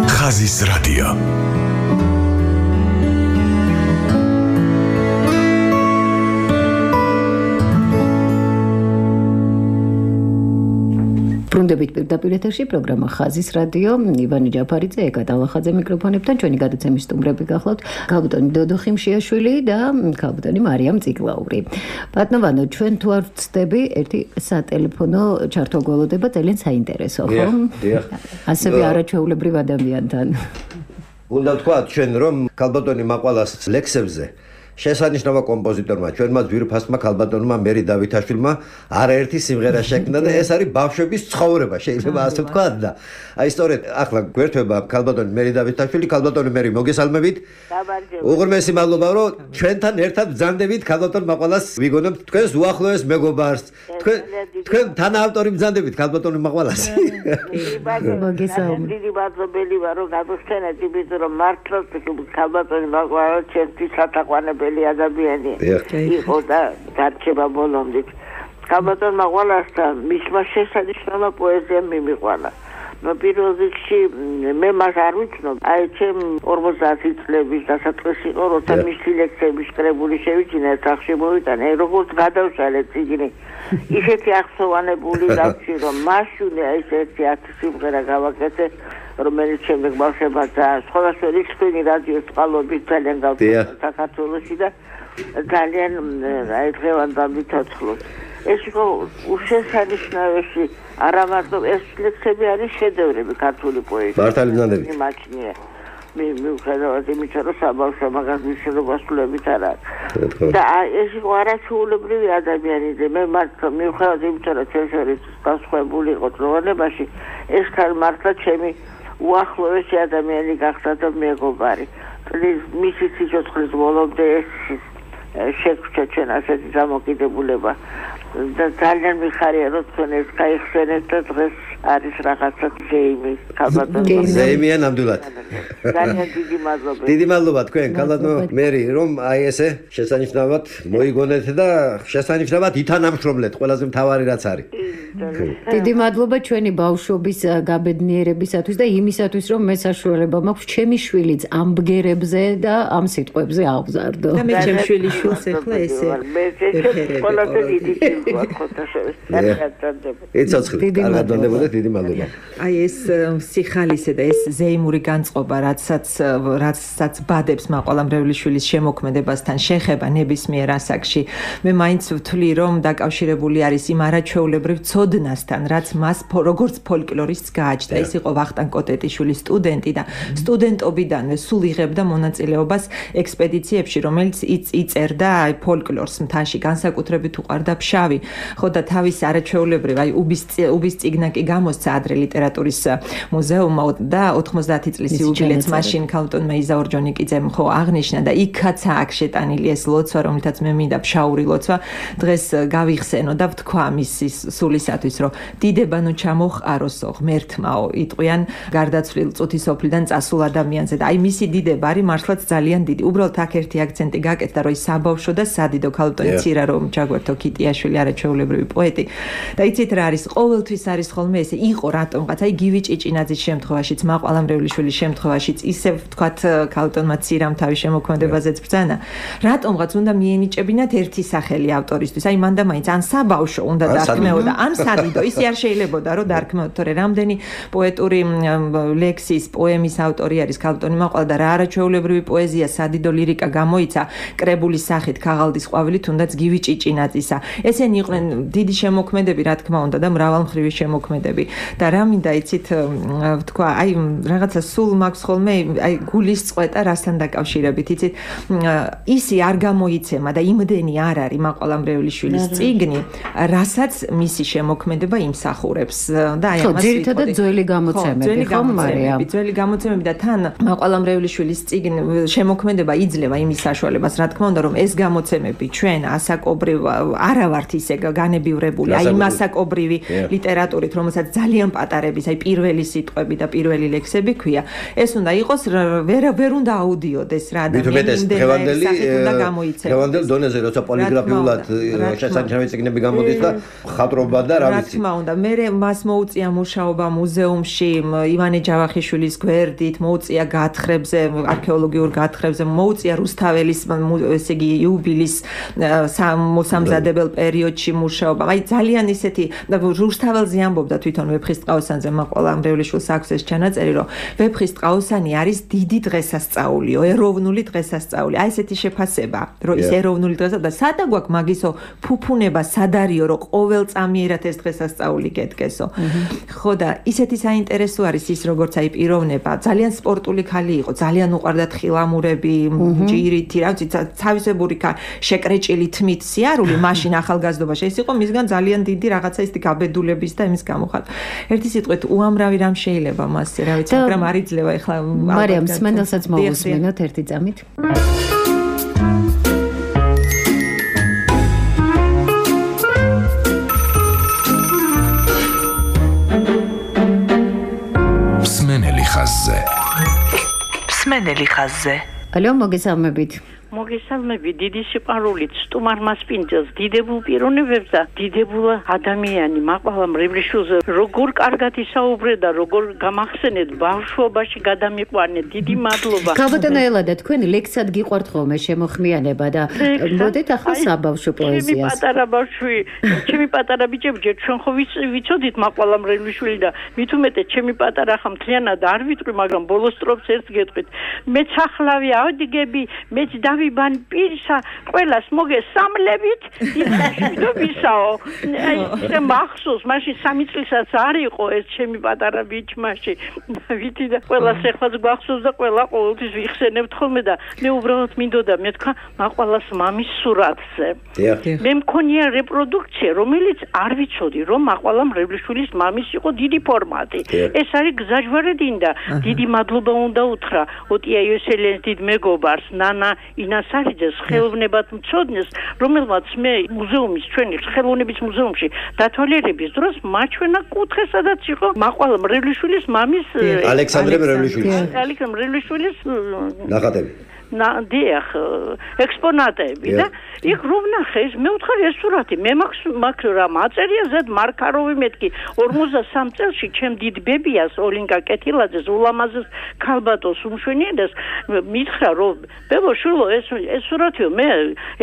ხაზის რადიო. ბრუნდებით პირდაპირ ეთერში პროგრამა ხაზის რადიო ივანი ჯაფარიძე ეკა დალახაძე მიკროფონებთან ჩვენი გადაცემის სტუმრები გახლავთ ქალბატონი დოდო ხიმშიაშვილი და ქალბატონი მარიამ წიგლაური. ბატონო ჩვენ თუ არ ვწდები ერთი სატელეფონო ჩართვა გველოდება ძალიან საინტერესო ხო? ასევე არაჩვეულებრივ ადამიანთან. უნდა ვთქვა ჩვენ რომ ქალბატონი მაყვალას ლექსებზე შესანიშნავა კომპოზიტორმა ჩვენმა ძვირფასმა ქალბატონმა მერი დავითაშვილმა არაერთი სიმღერა შექმნა და ეს არის ბავშვების ცხოვრება შეიძლება ასე ვთქვათ და აი სწორედ ახლა გვერდება ქალბატონი მერი დავითაშვილი ქალბატონი მერი მოგესალმებით უღრმესი მადლობა რომ ჩვენთან ერთად ბრძანდებით ქალბატონ მაყვალას ვიგონებთ თქვენს უახლოეს მეგობარს თქვენ თქვენ თანაავტორი ბრძანდებით ქალბატონი მაყვალას მოგესალმებით დიდი მადლობელი ვარ რომ გადავსვენეთ იმით რომ მართლაც ქალბატონი მაყვალა ჩემთვის სათაყვანებელი ადამიანი იყო და დარჩება ბოლომდე. ქალბატონ მაყვალასთან მისმა შესანიშნავა პოეზია მიმიყვანა. ნუ პირველ რიგში მე მას არ ვიცნობ. აი ჩემ ორმოცდაათი წლების დასაწყისი იყო, როცა მისი ლექსები შეკრებული შევიჩინა სახში მოვიტანე, როგორც გადავშალე წიგნი. ისეთი ახსოვანებული დავში რომ მაშინ აი ესეთი ათი სიმღერა გავაკეთე რომელიც შემდეგ ბავშვებმა და სხვადასხვა რიცხვი რადიოს წყალობით ძალიან გავწევდა საქართველოში და ძალიან აი დღევანდელ მიცოცხლოს. ეს იყო უშესანიშნავესი არა მარტო ეს ლექსები არის შედევრები ქართული პოეზიის. მართალი ბრძანდებით. იმაჩნია. მე მიუხედავად იმისა რომ საბავშვო მაგას მისდრობასულებით არ არის. და ეს იყო არაჩვეულებრივი ადამიანი და მე მართლა მიუხედავად იმისა რომ ჩვენ შორის გასხვებული იყო დროებაში ეს ხარ მართლა ჩემი უახლოესი ადამიანი გახდა და მეგობარი. მისი სიცოცხლის ბოლომდე ეს შეგვჭა ჩვენ ასეთი დამოკიდებულება და ძალიან მიხარია რომ თქვენ ეს გაიხსენეთ და დღეს არის რაღაცა ზეიმი ქალბატონი ზეიმია ნამდვილად ძალიან დიდი მადლობა დიდი მადლობა თქვენ ქალბატონო მერი რომ აი ესე შესანიშნავად მოიგონეთ და შესანიშნავად ითანამშრომლეთ ყველაზე მთავარი რაც არის დიდი მადლობა ჩვენი ბავშვობის გაბედნიერებისათვის და იმისათვის რომ მე საშუალება მაქვს ჩემი შვილიც ამ ბგერებზე და ამ სიტყვებზე აღზარდო და მე ჩემი შვილის შვილს ახლა ესე ყველაზე დიდი ხოთა შევესწავლე ეცოცხლით კარგადონდებოდა დიდი მადლობა აი ეს სიხალისე და ეს ზეიმური განწყობა რაცაც რაცაც ბადებს მაყვალა მრევლიშვილის შემოქმედებასთან შეხება ნებისმიერ ასაკში მე მაინც ვთვლი რომ დაკავშირებული არის იმ არაჩვეულებრივ ცოდნასთან რაც მას როგორც ფოლკლორისტს გააჩნდა ის იყო ვახტანგ კოტეტიშვილის სტუდენტი და სტუდენტობიდანვე სულ იღებდა მონაწილეობას ექსპედიციებში რომელიც იწერდა აი ფოლკლორს მთაში განსაკუთრებით უყვარდა ფშავი ხო და თავის არაჩვეულებრივ აი უბის უბის წიგნა კი გამოსცა ადრე ლიტერატურის მუზეუმმა და ოთხმოცდაათი წლის იუბილეც მაშინ ქალბატონმა იზა ორჯონიკიძემ ხო აღნიშნა და იქაც აქ შეტანილი ეს ლოცვა, რომლითაც მე მინდა ფშაური ლოცვა დღეს გავიხსენო და ვთქვა მისის სულისათვის, რომ დიდებანო ჩამოხაროსო ღმერთმაო იტყვიან გარდაცვლილ წუთის ოფლიდან წასულ ადამიანზე და აი მისი დიდება არის მართლაც ძალიან დიდი. უბრალოდ აქ ერთი აქცენტი გაკეთდა, რომ ის საბავშვო და სადიდო ქალბატონი ცირა რომ ჯაგვერთო ქიტიაშვილი არაჩვეულებრივი პოეტი და იცით რა არის, ყოველთვის არის ხოლმე ესე იყო რატომღაც, აი გივი ჭიჭინაძის შემთხვევაშიც, მაყვალა მრევლიშვილის შემთხვევაშიც ისევ ვთქვათ ქალბატონმა ცირამ თავის შემოქმედებაზეც ბრძანა, რატომღაც უნდა მიენიჭებინათ ერთი სახელი ავტორისთვის, აი მან და მაინც ან საბავშვო უნდა დარქმეოდა, ან სადიდო, ისი არ შეიძლებოდა რომ დარქმეოთ, თორე რამდენი პოეტური ლექსის, პოემის ავტორი არის ქალბატონი მაყვალა და რა არაჩვეულებრივი პოეზია, სადიდო ლირიკა გამოიცა კრებულის სახით, ქაღალდის ყვავილით, თუნდაც გივი ჭიჭინაძისა. ესენი იყვნენ დიდი შემოქმედები, რა თქმა უნდა და მრავალმხრივი შემოქმედები და რა მინდა იცით ვთქვა, აი რაღაცა სულ მაქვს ხოლმე აი გულის წყვეტა რასთან დაკავშირებით, იცით ისი არ გამოიცემა და იმდენი არ არის მაყვალა მრევლიშვილის წიგნი, რასაც მისი შემოქმედება იმსახურებს და აი ამას ძირითადად ძველი გამოცემები ხო მარიამ, ძველი გამოცემები და თან მაყვალა მრევლის წიგნი შემოქმედება იძლევა იმის საშუალებას, რა თქმა უნდა, რომ ეს გამოცემები ჩვენ ასაკობრივ არა ვართ ისე განებივრებული, აი იმ ასაკობრივი ლიტერატურით, რომელსაც ძალიან პატარების, აი პირველი სიტყვები და პირველი ლექსები ქვია. ეს უნდა იყოს ვერ ვერ უნდა აუდიოდეს რა და დღევანდელი დღევანდელ დონეზე როცა პოლიგრაფიულად შესანიშნავი წიგნები გამოდის და ხატრობა და რა ვიცი. რა თქმა უნდა, მე მას მოუწია მუშაობა მუზეუმში ივანე ჯავახიშვილის გვერდით, მოუწია გათხრებზე, არქეოლოგიურ გათხრებზე, მოუწია რუსთაველის ესე იგი იუბილის მოსამზადებელ პერიოდში მუშაობა. აი ძალიან ისეთი რუსთაველზე ამბობდა თვითონ ვეფხისტყაოსანზე მაყვალა მრევლიშვილს აქვს ეს ჩანაწერი, რომ ვეფხისტყაოსანი არის დიდი დღესასწაულიო, ეროვნული დღესასწაული. აი ესეთი შეფასება, რომ ის ეროვნული დღესასწაული და სადა გვაქვს მაგისო ფუფუნება სადარიო, რომ ყოველ წამიერად ეს დღესასწაული გეტკესო. ხო და ისეთი საინტერესო არის ის, როგორც აი პიროვნება, ძალიან სპორტული ქალი იყო, ძალიან უყვარდა თხილამურები, ჯირითი, რა ვიცი, თავისებური შეკრეჭილი თმით სიარული, მაშინ ახალგაზრდობაში ეს იყო მისგან ძალიან დიდი რაღაცა ისეთი გაბედულების და იმის გამოხატვა. ერთი სიტყვით უამრავი რამ შეიძლება მასზე, რა ვიცი, მაგრამ არ იძლევა ეხლა მარიამ სმენელსაც მოვუსმენოთ ერთი წამით. სმენელი ხაზზე. სმენელი ხაზზე. ალო, მოგესალმებით. მოგესალმებით, დიდი სიყვარულით სტუმარ მასპინძელს, დიდებულ პიროვნებებს და დიდებულ ადამიანი მაყვალა მრევლიშვილზე როგორ კარგად ისაუბრე და როგორ გამახსენეთ ბავშვობაში გადამიყვანეთ. დიდი მადლობა. ქალბატონო ელადა, თქვენ ლექსად გიყვართ ხოლმე შემოხმიანება და მოდით ახლა საბავშვო პოეზიას. ჩემი პატარა ბავშვი, ჩემი პატარა ბიჭები, ჯერ ჩვენ ხო ვიცოდით მაყვალა მრევლიშვილი და მით უმეტეს ჩემი პატარა ხა მთლიანად არ ვიტყვი, მაგრამ ბოლოს სტროფს ერთს გეტყვით. მეც ახლავი ავდგები, მეც ვიბან პირსა ყველას მოგესამლებით დიდებისაო. აი მახსოვს მაშინ სამი წლისაც არ იყო ეს ჩემი პატარა ბიჭმაში. ვითი და ყველას ეხლაც გვახსოვს და ყველა ყოველთვის ვიხსენებთ ხოლმე და მე უბრალოდ მინდოდა მე თქვა მაყვალას მამის სურათზე. მე მქონია რეპროდუქცია, რომელიც არ ვიცოდი რომ მაყვალა მრევლიშვილის მამის იყო დიდი ფორმატი. ეს არის გზაჯვარედინდა. დიდი მადლობა უნდა უთხრა ოტია იოსელიანის დიდ მეგობარს, ნანა ინასარიძეს, ხელოვნებად მცოდნეს, რომელმაც მე მუზეუმის ჩვენი ხელოვნების მუზეუმში დათვალიერების დროს მაჩვენა კუთხე, სადაც იყო მაყვალა მრევლიშვილის მამის ალექსანდრე მრევლიშვილის ალექსანდრე მრევლიშვილის ნახატები. დიახ, ექსპონატები და იქ რომ ნახე ეს მე ვთხარი ეს სურათი მე მაქვს მაქვს რა მაწერია ზედ მარკაროვი მეთქი ორმოცდასამ წელში ჩემ დიდ ბებიას ოლინკა კეთილაძეს ულამაზეს ქალბატონს უმშვენიებას მითხრა რომ ბებო შულო ეს ეს სურათიო მე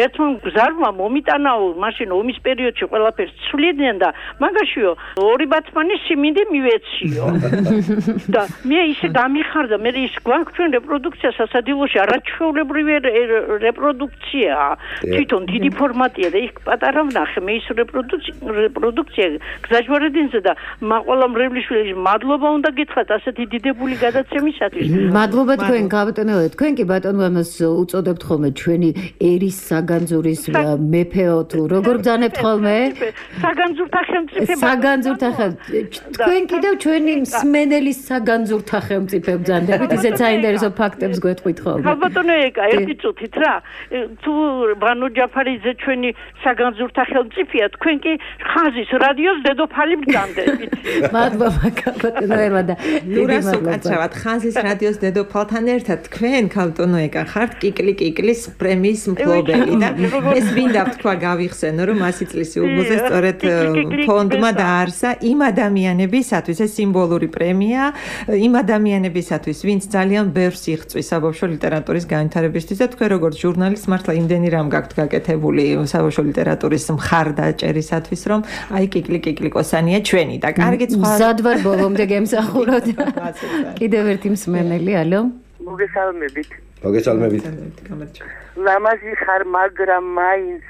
ერთმა გზარმა მომიტანაო მაშინ ომის პერიოდში ყველაფერს ცვლიდნენ და მაგაშიო ორი ბათმანის სიმინდი მივეციო და მე ისე გამიხ ხარ და მე ის გვაქვს ჩვენ რეპროდუქცია სასადილოში არაჩვეულებრივი რეპროდუქციაა. თვითონ დიდი ფორმატია და იქ პატარა ვნახე მე ის რეპროდუქცია გზაჯვარედინზე და მაყვალა მრევლიშვილი მადლობა უნდა გითხრათ ასეთი დიდებული გადაცემისათვის. მადლობა თქვენ გაბატონებთ. თქვენ კი ბატონო ამას უწოდებთ ხოლმე ჩვენი ერის საგანძურის მეფეო თუ როგორ ბრძანებთ ხოლმე? საგანძურთა ხელმწიფო. საგანძურთა ხელმწიფო. თქვენ კიდევ ჩვენი მსმენელის საგანძურთა ხელმწიფო ბრძანდებით, ისეთ საინტერესო ფაქტებს გვეტყვით ხოლმე. ბატონო ეკა, ერთი წუთით რა. თუ ბანო ჯაფარიძე ჩვენი საგანძურთა ხელმწიფოა, თქვენ კი ხაზის რადიოს დედოფალი ბრძანდებით. მადლობა ბატონო ერვა და ლურას უკაცრავად ხაზის რადიოს დედოფალთან ერთად თქვენ ბატონო ეკა ხართ კიკლი კიკლის პრემიის მფლობელი და ეს მინდა თქვა გავიხსენო რომ ასი წლის იუბილეზე სწორედ ფონდმა დაარსა იმ ადამიანებისათვის ეს სიმბოლური პრემია იმ ადამიანებისათვის ვინც ძალიან ბევრს იღწვის საბავშვო ლიტერატურის განვითარებისთვის და თქვენ როგორც ჟურნალისტ მართლა იმდენი რამ გაქვთ გაკეთებული საბავშვო ლიტერატურის მხარდაჭერისათვის რომ აი კიკლი კიკლი კოსანია ჩვენი და კარგი სხვა მზადვარ ბოლომდე გემსახუროთ კიდევ ერთი მსმენელი ალო მოგესალმებით მოგესალმებით ლამაზი ხარ მაგრამ მაინც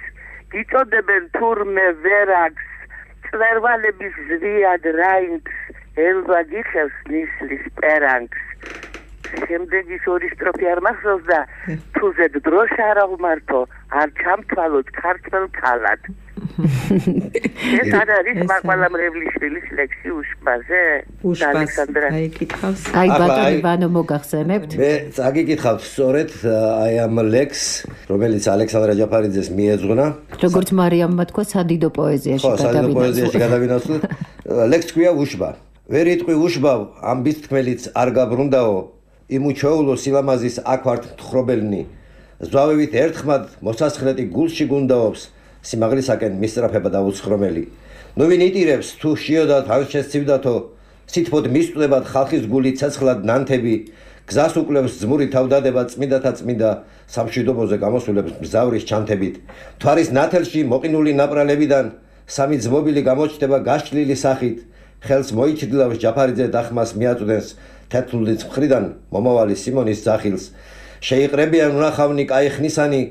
გიწოდებენ თურმე ვერაგს წვერვალების ზვიად რაინდს ელვა გიხევს ნისლის პერანგს შემდეგის ორი სტროფი არ მახსოვს და თუზედ დროშა არ აღმართო არ ჩამთვალოთ ქართველ ქალად ეს არის მაყვალა მრევლიშვილის ლექსი უშბაზე ალექსანდრა აი კითხავს აი ბატონო ივანო მოგახსენებთ მე წაგიკითხავთ სწორედ აი ამ ლექს რომელიც ალექსანდრა ჯაფარიძეს მიეძღვნა როგორც მარიამმა თქვა სადიდო პოეზიაში გადავინაცვლა ხო სადიდო პოეზიაში გადავინაცვლა ლექს ქვია უშბა ვერ იტყვი უშბავ ამ ბისთქმელიც არ გაბრუნდაო იმუჩოულო სილამაზის აქ ვართ ხრობელნი ზვავებით ერთხმად მოსასხლეტი გულში გუნდაობს სიმაღლისაკენ მისწრაფება და უცხრომელი ნუ ვინ იტირებს თუ შიოდათ ან შესცივდათო სითბოდ მისწვდებათ ხალხის გული ცეცხლად ნანთები გზას უკლებს ძმური თავდადება წმინდათა წმინდა სამშვიდობოზე გამოსულებს მზავრის ჩანთებით თვარის ნათელში მოყინული ნაპრალებიდან სამი ძმობილი გამოჩნდება გაშლილი სახით ხელს მოიჩდილავს ჯაფარიძე დახმას მიაწვდენს თეთრულის მხრიდან მომავალი სიმონის ძახილს შეიყრებიან უნახავნი კაი ხნისანი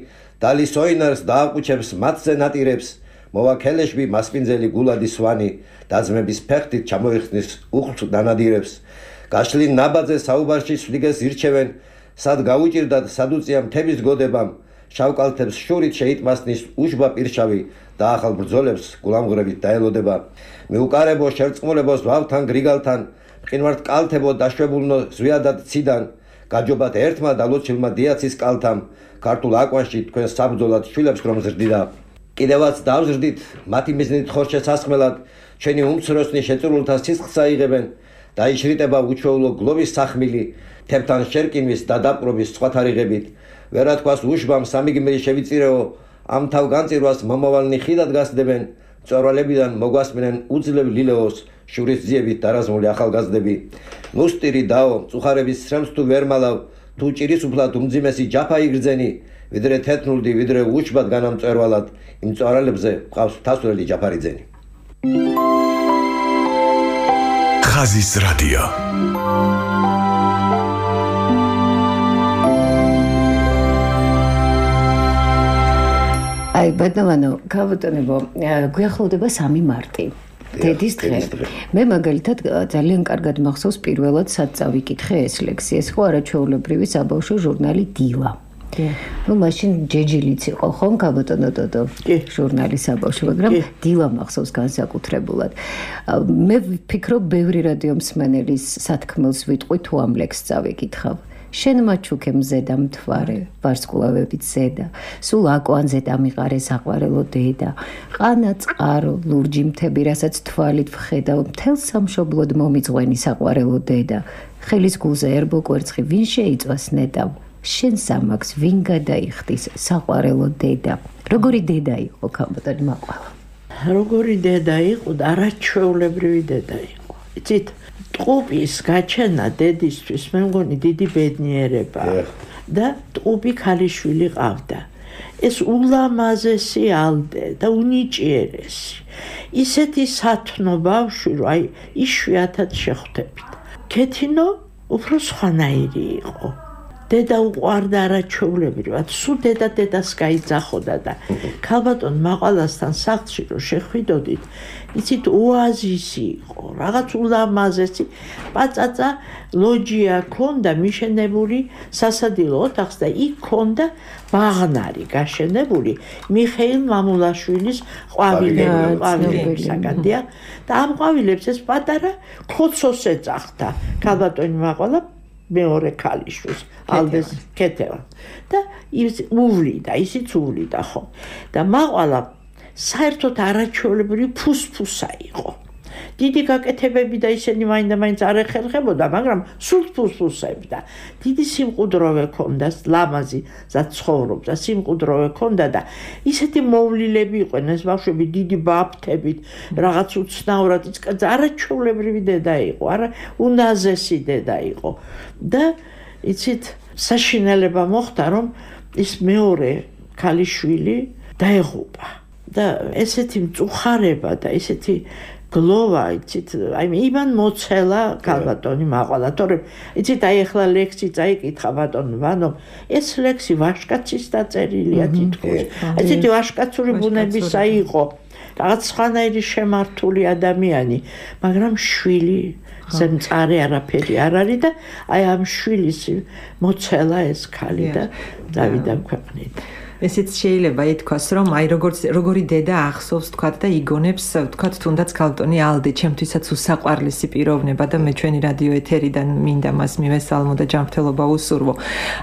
დალის ოინარს დააყუჩებს მათზე ნატირებს მოვაქელეშბი მასპინძელი გულადი სვანი დაძმების ფეხთით ჩამოიხსნის უხლს დანადირებს გაშლილ ნაბაძე საუბარში სვლიგეს ირჩევენ სად გაუჭირდათ სადუწია მთების გოდებამ შავკალთებს შურით შეიტმასნის უშბა პირშავი და ახალ ბრძოლებს გულამღრებით დაელოდება მიუკარებო შერწყმულებოს ვავთან გრიგალთან მყინვართ კალთებო დაშვებულნო ზვიადად ციდან გაჯობათ ერთმა და ლოცილმა დიაცის კალთამ ქართულ აკვანში თქვენ საბრძოლად შვილებს რომ ზრდიდა კიდევაც დავზრდით მათი მიზნით ხორჩეს ასხმელად ჩვენი უმცროსნი შეწურულთა სისხლს აიღებენ დაიშრიტება უჩვეულო გლოვის სახმილი თებთან შერკინვის და დაპყრობის სხვათარიღებით ვერათქვას უშბამ სამიგმირი შევიწირეო ამ თავ განწირვას მომავალნი ხიდად გასდებენ წორვალებიდან მოგვასმინენ უძლებ ლილეოს შურის ძიებით დარაზმული ახალგაზრდები ნუსტირი დაო წუხარების სრემს თუ ვერ მალავ თუ ჭირის უფლად უმძიმესი ჯაფა იგრძენი ვიდრე თეთნულდი ვიდრე უშბად განამწვერვალად იმ წორალებზე ყავს თასურელი ჯაფარიძენი ხაზის რადიო აი ბატონო გაბატონებო გვიახლოვდება სამი მარტი დედის დღე. მე მაგალითად ძალიან კარგად მახსოვს პირველად სად წავიკითხე ეს ლექსი. ეს ხო არაჩვეულებრივი საბავშვო ჟურნალი დილა. ну მაშინ ჯეჯილიც იყო ხომ გაბატონო დოდო ჟურნალი საბავშვო მაგრამ დილა მახსოვს განსაკუთრებულად. მე ვფიქრობ ბევრი რადიო მსმენელის სათქმელს ვიტყვი თუ ამ ლექსს წავიკითხავ. შენ მაჩუქე მზედა მთვარე ვარსკვლავებით ზედა სულ აკვანზე დამიყარე საყვარელო დედა ყანა წყარო ლურჯი მთები რასაც თვალით ვხედავ მთელ სამშობლოდ მომიძღვენი საყვარელო დედა ხელის გულზე ერბო კვერცხი ვინ შეიწვას ნეტავ შენ სამაქს ვინ გადაიხდის საყვარელო დედა როგორი დედა იყო ქაბატონი მაყვალა როგორი დედა იყო და არაჩვეულებრივი დედა იყო იცით ტყუპის გაჩენა დედისთვის მე მგონი დიდი ბედნიერებაა და ტყუპი ქალიშვილი ყავდა ეს ულამაზესი ალდე და უნიჭიერესი ისეთი სათნო ბავშვი რომ აი იშვიათად შეხვდებით ქეთინო უფრო სხვანაირი იყო. დედა უყვარდა არაჩვეულებრივად, სულ დედა დედას გაიძახოდა და ქალბატონ მაყვალასთან სახლში რომ შეხვიდოდით, იცით ოაზისი იყო, რაღაც ულამაზესი პაწაწა ლოჯია ქონდა მიშენებული სასადილო ოთახს და იქ ქონდა ბაღნარი გაშენებული მიხეილ მამულაშვილის ყვავილებისაგან და ამ ყვავილებს ეს პატარა ქოცოს ეძახდა ქალბატონი მაყვალა მეორე ქალიშვილს ალბეს კეთევა და ის უვლიდა ისიც უვლიდა ხო და მაყვალა საერთოდ არაჩვეულებრივი ფუსფუსა იყო დიდი გაკეთებები და ისინი მაინდა-მაინც არ ეხერხებოდა მაგრამ სულ ფუსფუსები და დიდი სიმყუდროვე ქონდა ლამაზი ზაცხოვრობდა სიმყუდროვე ქონდა და ისეთი მოვლილები იყვნენ ეს ბავშვები დიდი ბაფთებით რაღაც უცნაურად ის არაჩვეულებრივი დედა იყო არა უნაზესი დედა იყო და იცით საშინელება მოხდა რომ ის მეორე ქალიშვილი დაეღუპა და ესეთი მწუხარება და ესეთი გლოვა იცით აი ივან მოცელა ქალბატონი მაყვალა თორემ იცით აი ახლა ლექსი წაიკითხა ბატონ ვანო ეს ლექსი ვაშკაცის დაწერილია თითქოს იცით ვაშკაცური ბუნებისა იყო რაღაც სხვანაირი შემართული ადამიანი მაგრამ შვილი ზემწარე არაფერი არ არის და აი ამ შვილის მოცელა ეს ქალი და დავიდა ქვეყნით ესეც შეიძლება ითქვას, რომ აი როგორც როგორი დედა ახსოვს თქვათ და იგონებს თქვათ თუნდაც ქალბატონი ალდე, ჩემთვისაც უსაყვარლესი პიროვნება და მე ჩვენი რადიო ეთერიდან მინდა მას მივესალმო და ჯანმრთელობა უსურვო.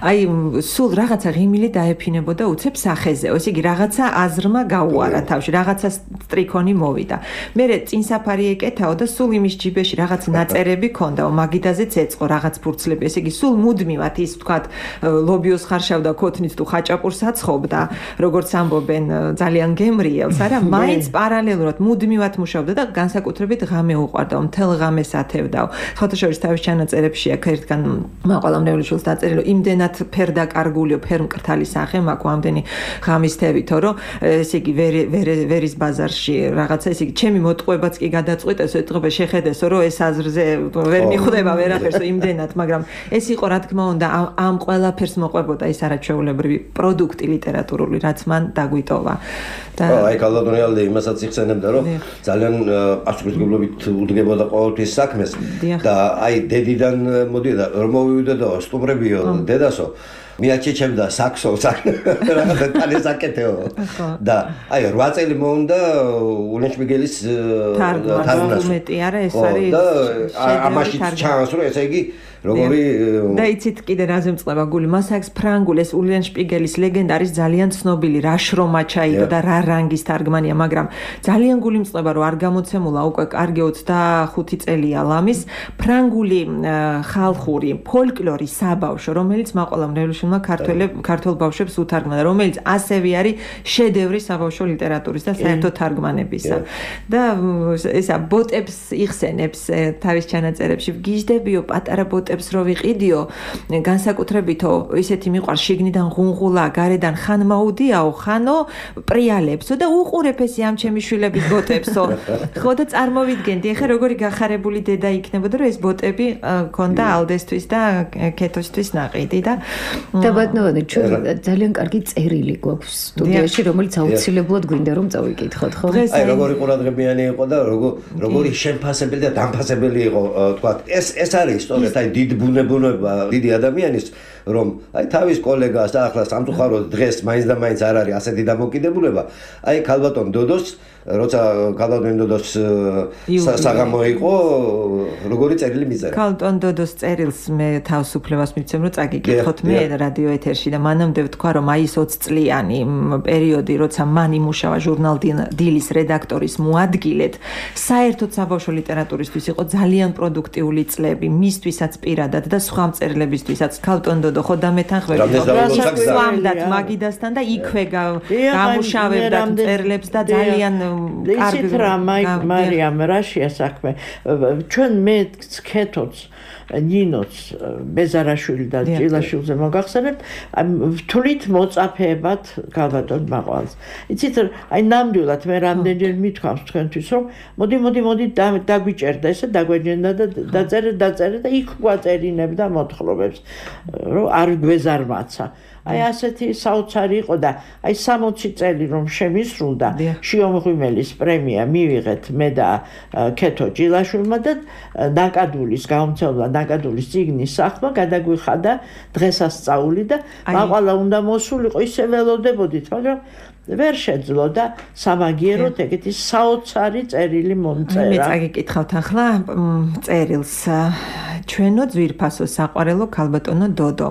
აი სულ რაღაცა ღიმილი დაეფინებოდა უცებ სახეზეო. ესე იგი რაღაცა აზრმა გაუარა თავში, რაღაცა სტრიქონი მოვიდა. მერე წინსაფარი ეკეთაო და სულ იმის ჯიბეში რაღაც ნაწერები ქონდაო, მაგიდაზეც ეწყო რაღაც ფურცლები. ესე იგი სულ მუდმივად ის თქვათ ლობიოს ხარშავდა ქოთნით თუ ხაჭაპურს აცხობ და როგორც ამბობენ ძალიან გემრიელს არა მაინც პარალელურად მუდმივად მუშაობდა და განსაკუთრებით ღამე უყვარდა მთელ ღამეს ათევდაო ხოთაშორის თავის ჩანაწერებში აქ ერთგან მაყვალა მრევლიშვილს დაწერილი რომ იმდენად ფერდაკარგულიო ფერმკრთალი სახე მაქვს ამდენი ღამის თევითო რომ ესე იგი ვერის ბაზარში რაღაცა ესე იგი ჩემი მოტყუებაც კი გადაწყვიტეს ეთყობა შეხედესო რომ ეს აზრზე ვერ მიხვდება ვერაფერსო იმდენად მაგრამ ეს იყო რა თქმა უნდა ამ ყველაფერს მოყვებოდა ის არაჩვეულებრივი პროდუქტი ლიტერატურული რაც მან დაგვიტოვა და აი ქალბატონი ალდე იმასაც იხსენებდა რომ ძალიან პასუხისმგებლობით უდგებოდა ყოველთვის საქმეს და აი დედიდან მოდიდა რომ მოვივიდოდო სტუმრებიო დედასო მიაჩეჩებდა საქსო რაღაცა კალეს აკეთეო და აი რვა წელი მოუნდა ულენშპიგელის თარგმნას უმეტი არა ეს არის და ამაში ჩანს რომ ესე იგი როგორი და იცით კიდე რაზე მწყება გული მას აქვს ფრანგული ეს ულენშპიგელის ლეგენდა არის ძალიან ცნობილი რა შრომა ჩაიდო და რა რანგის თარგმანია მაგრამ ძალიან გული მწყება რომ არ გამოცემულა უკვე კარგი ოცდახუთი წელია ლამის ფრანგული ხალხური ფოლკლორის საბავშვო რომელიც მაყვალა მრევლიშვილმა ქართულ ბავშვებს უთარგმნა რომელიც ასევე არის შედევრი საბავშვო ლიტერატურის და საერთო თარგმანებისა და ესა ბოტებს იხსენებს თავის ჩანაწერებში გიждდებიო პატარა ბოტ რო ვიყიდიო განსაკუთრებითო ისეთი მიყვარ შიგნიდან ღუნღულა გარედან ხან მაუდიაო ხანო პრიალებსო და უყურებ ესე ამ ჩემი შვილების ბოტებსო ხო და წარმოვიდგენდი ეხა როგორი გახარებული დედა იქნებოდა რომ ეს ბოტები ქონდა ალდესთვის და ქეთოსთვის ნაყიდი და და ბატონო ჩვენ ძალიან კარგი წერილი გვაქვს სტუდიაში რომელიც აუცილებლად გვინდა რომ წავიკითხოთ ხო აი როგორი ყურადღებიანი იყო და როგორი შემფასებელი და დამფასებელი იყო თქვა ეს ეს არის სწორედ აი დიდ ბუნებუნება დიდი ადამიანის რომ აი თავის კოლეგას ახლა სამწუხაროდ დღეს მაინც და მაინც არ არის ასეთი დამოკიდებულება აი ქალბატონ დოდოს როცა ქალბატონ დოდოს საღამო იყო როგორი წერილი მიწერა ქალბატონ დოდოს წერილს მე თავისუფლებას მიცემ რომ წაგიკითხოთ მე რადიო ეთერში და მანამდე ვთქვა რომ აი ეს ოცი წლიანი პერიოდი როცა მან იმუშავა ჟურნალ დილის რედაქტორის მოადგილედ საერთოდ საბავშვო ლიტერატურისთვის იყო ძალიან პროდუქტიული წლები მისთვისაც პირადად და სხვა მწერლებისთვისაც ქალბატონ დოდო ხო დამეთანხმებით სვამდათ მაგიდასთან და იქვე გამუშავებდათ წერლებს და ძალიან კარგი ისიც რა მარიამ რაშია საქმე ჩვენ მე ქეთოც ნინოც ბეზარაშვილი და ჭილაშვილზე მოგახსენებთ თulit მოწაფეებად გალბატონ მაყვალს იცით აი ნამდვილად მე რამდენჯერ მithქვამს თქვენთვის რომ მოდი მოდი მოდი დაგვიჭერდა ესე დაგვეჯენდა და დაწერე დაწერე და იქ გვაწერინებდა მოთხრობებს რომ არ გვეზარმაცა აი ასეთი საოცარი იყო და აი სამოცი წელი რომ შემისრულდა შიომღვიმელის პრემია მივიღეთ მე და ქეთო ჭილაშვილმა და ნაკადულის გამომცემლა ნაკადულის წიგნის სახმა გადაგვიხადა დღესასწაული და მაყვალა უნდა მოსულიყო ისე ველოდებოდით მაგრამ ვერ შეძლო და სამაგიეროდ ეგეთი საოცარი წერილი მომწერა. მე წაგიკითხავთ ახლა წერილს. ჩვენო ძვირფასო საყვარელო ქალბატონო დოდო.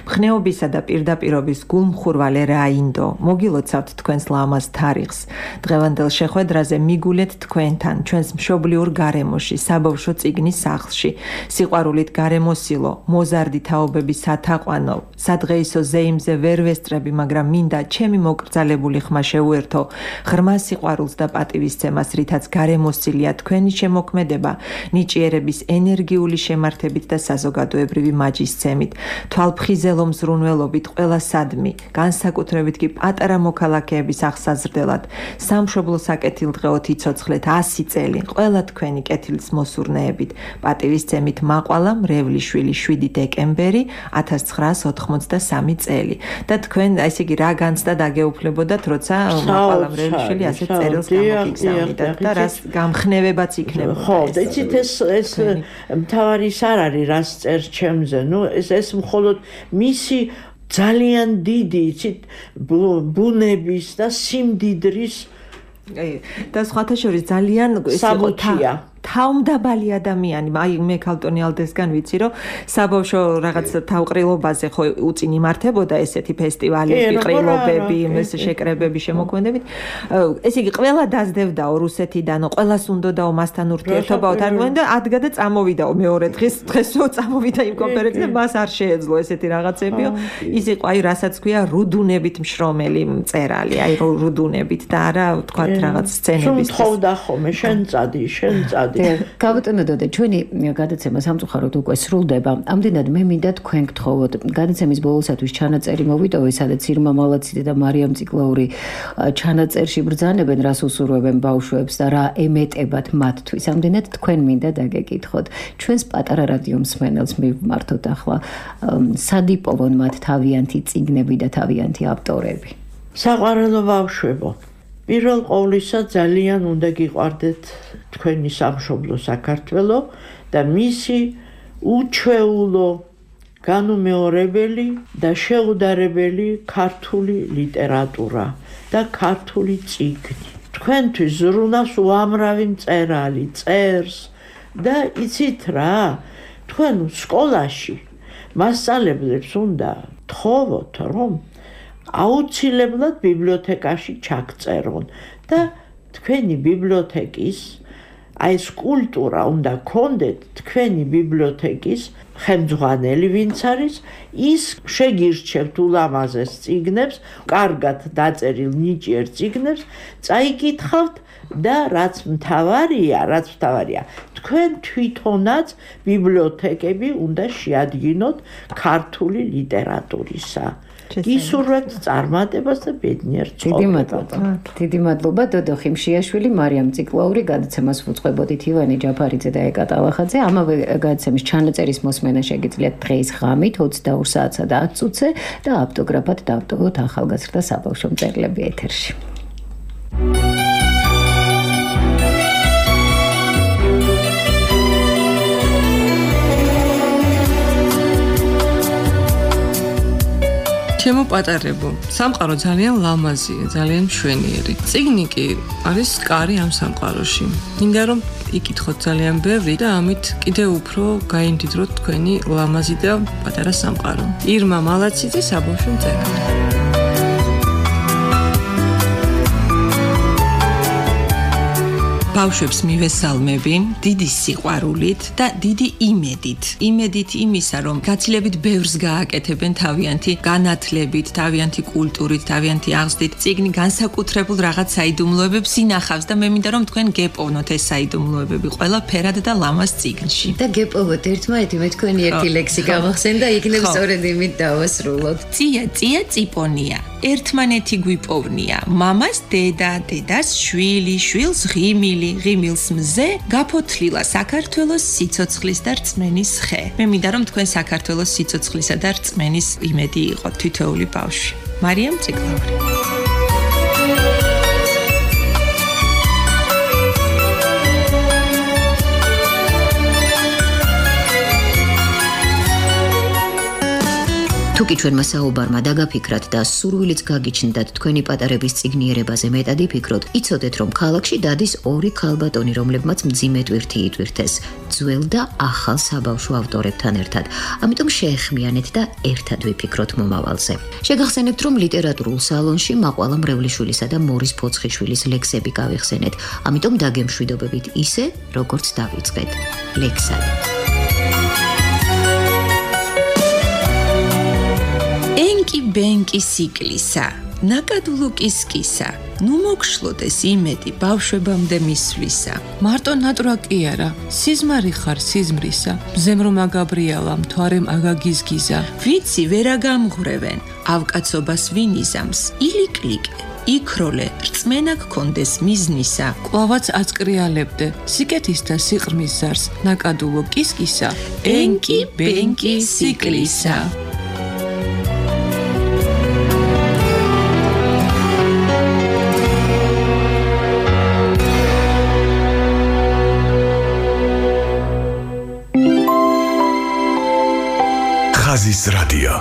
მხნეობისა და პირდაპირობის გულმხურვალე რაინდო. მოგილოცავთ თქვენს ლამაზ თარიღს. დღევანდელ შეხვედრაზე მიგულეთ თქვენთან, ჩვენს მშობლიურ გარემოში, საბავშვო წიგნის სახლში. სიყვარულით გარემოსილო, მოზარდი თაობების სათაყვანო. სადღეისო ზეიმზე ვერ ვესწრები, მაგრამ მინდა ჩემი მოკრძალებული ხმა შეუერთო ღრმა სიყვარულს და პატივისცემას, რითაც გარემოსილია თქვენი შემოქმედება, ნიჭიერების ენერგიული შემართებით და საზოგადოებრივი მაჯისცემით, თვალფხიზელო მზრუნველობით ყველასადმი, განსაკუთრებით კი პატარა მოქალაქეების აღსაზრდელად, სამშობლო საკეთილდღეოდ იცოცხლეთ ასი წელი, ყველა თქვენი კეთილის მოსურნეებით, პატივისცემით მაყვალა მრევლიშვილი შვიდი დეკემბერი ათას ცხრაას ოთხმოცდასამი წელი და თქვენ ესე იგი რა განცდა დაგეუფლებოდათ როცა მაყვალა მრევლიშვილი ასე წერილს გამოგიგზავნიდათ და რას გამხნევებაც იქნება. ხო, იცით ეს ეს მთავარი ის არ არის რას წერს ჩემზე. ნუ ეს ეს მხოლოდ მისი ძალიან დიდი იცით ბუნების და სიმდიდრის და სხვათა შორის ძალიან საბუთია. თავმდაბალი ადამიანი, აი მე ქალტონი ალდესგან ვიცი, რომ საბავშვო რაღაც თავყრილობაზე ხო უწინ იმართებოდა ესეთი ფესტივალები, ყრილობები, ეს შეკრებები, შემოქმედებით. ესე იგი, ყველა დაძდევდაო რუსეთიდან, ყველას უნდაო მასთან ურთიერთობაო თარგმანი და ადგა და წამოვიდაო მეორე დღეს, დღესო წამოვიდა იმ კონფერენციაზე, მას არ შეეძლო ესეთი რაღაცებიო. ის იყო აი რასაც ქვია რუდუნებით მშრომელი მწერალი, აი რუდუნებით და არა თქვა რაღაც სცენების. თხოვდა ხოლმე შენ წადი, შენ წადი ქალბატონო დოდო, ჩვენი გადაცემა სამწუხაროდ უკვე სრულდება. ამდენად მე მინდა თქვენ გთხოვოთ, გადაცემის ბოლოსათვის ჩანაწერი მოვიტოვე, სადაც ირმა მალაციძე და მარიამ ციკლაური ჩანაწერში ბრძანებენ, რას უსურვებენ ბავშვებს და რა ემეტებათ მათთვის. ამდენად თქვენ მინდა დაგეკითხოთ. ჩვენს პატარა რადიო მსმენელს მივმართოთ ახლა, სად იპოვონ მათ თავიანთი წიგნები და თავიანთი ავტორები? საყვარელო ბავშვებო, პირველ ყოვლისა ძალიან უნდა გიყვარდეთ თქვენი სამშობლო საქართველო და მისი უჩვეულო, განუმეორებელი და შეუდარებელი ქართული ლიტერატურა და ქართული წიგნი. თქვენთვის ზრუნავს უამრავი მწერალი, წერს და იცით რა, თქვენ სკოლაში მასწავლებლებს უნდა თხოვოთ, რომ აუცილებლად ბიბლიოთეკაში ჩაგწერონ და თქვენი ბიბლიოთეკის აი ეს კულტურა უნდა გქონდეთ თქვენი ბიბლიოთეკის ხელმძღვანელი ვინც არის ის შეგირჩევთ ულამაზეს წიგნებს, კარგად დაწერილ ნიჭიერ წიგნებს, წაიკითხავთ და რაც მთავარია, რაც მთავარია, თქვენ თვითონაც ბიბლიოთეკები უნდა შეადგინოთ ქართული ლიტერატურისა. ისურვებთ წარმატებას და ბედნიერ ცხოვრებას. დიდი მადლობა. დიდი მადლობა დოდო ხიმშიაშვილი, მარიამ ციკლაური, გადაცემას უწყებოდით ივანე ჯაფარიძე და ეკა ტალახაძე. ამავე გადაცემის ჩანაწერის მოსმენა შეგიძლიათ დღეს ღამით ოცდაორ საათსა და ათ წუთზე და ავტოგრაფად დავტოვოთ ახალგაზრდა საბავშვო მწერლები ეთერში. ჩემო პატარებო, სამყარო ძალიან ლამაზია, ძალიან მშვენიერი. წიგნი კი არის კარი ამ სამყაროში. მინდა რომ იკითხოთ ძალიან ბევრი და ამით კიდევ უფრო გაიმდიდროთ თქვენი ლამაზი და პატარა სამყარო. ირმა მალაციძე, საბავშვო მწერალი. ბავშვებს მივესალმები დიდი სიყვარულით და დიდი იმედით. იმედით იმისა, რომ გაცილებით ბევრს გააკეთებენ თავიანთი განათლებით, თავიანთი კულტურით, თავიანთი აღზრდით. წიგნი განსაკუთრებულ რაღაც საიდუმლოებებს ინახავს და მე მინდა რომ თქვენ გეპოვნოთ ეს საიდუმლოებები ყველაფერად და ლამაზ წიგნში. და გეპოვოთ ერთმანეთი, მე თქვენი ერთი ლექსი გავახსენდა, იქნებ სწორედ იმით დავასრულოთ. წია, წია, წიპონია. ერთმანეთი გვიპოვნია. მამას დედა, დედას შვილი, შვილს ღიმილი, ღიმილს მზე, გაფოთლილა საქართველოს სიცოცხლის და რწმენის ხე. მე მინდა რომ თქვენ საქართველოს სიცოცხლისა და რწმენის იმედი იყოთ თითოეული ბავშვი. მარიამ ციკლავრი. თუკი ჩვენმა საუბარმა დაგაფიქრათ და სურვილიც გაგიჩნდათ თქვენი პატარების წიგნიერებაზე მეტად იფიქროთ, იცოდეთ რომ ქალაქში დადის ორი ქალბატონი, რომლებმაც მძიმე ტვირთი იტვირთეს, ძველ და ახალ საბავშვო ავტორებთან ერთად. ამიტომ შეეხმიანეთ და ერთად ვიფიქროთ მომავალზე. შეგახსენებთ რომ ლიტერატურულ სალონში მაყვალა მრევლიშვილისა და მორის ფოცხიშვილის ლექსები გავიხსენეთ. ამიტომ დაგემშვიდობებით ისე, როგორც დავიწყეთ. ლექსად. ბენკი სიკლისა, ნაკადულო კისკისა, ნუ მოგშლოდეს იმედი ბავშვებამდე მისვლისა. მარტო ნატრა კი არა, სიზმარი ხარ სიზმრისა, მზემ რომ აგაბრიალა, მთვარემ აგაგიზგიზა. ვიცი ვერა გამღვრევენ, ავკაცობას ვინიზამს, ილიკლიკე. იქროლე, რწმენა გქონდეს მიზნისა. კლავაც აწკრიალებდე, სიკეთის და სიყრმის ზარს, ნაკადულო კისკისა, ენკი ბენკი სიკლისა. ხაზის რადიო.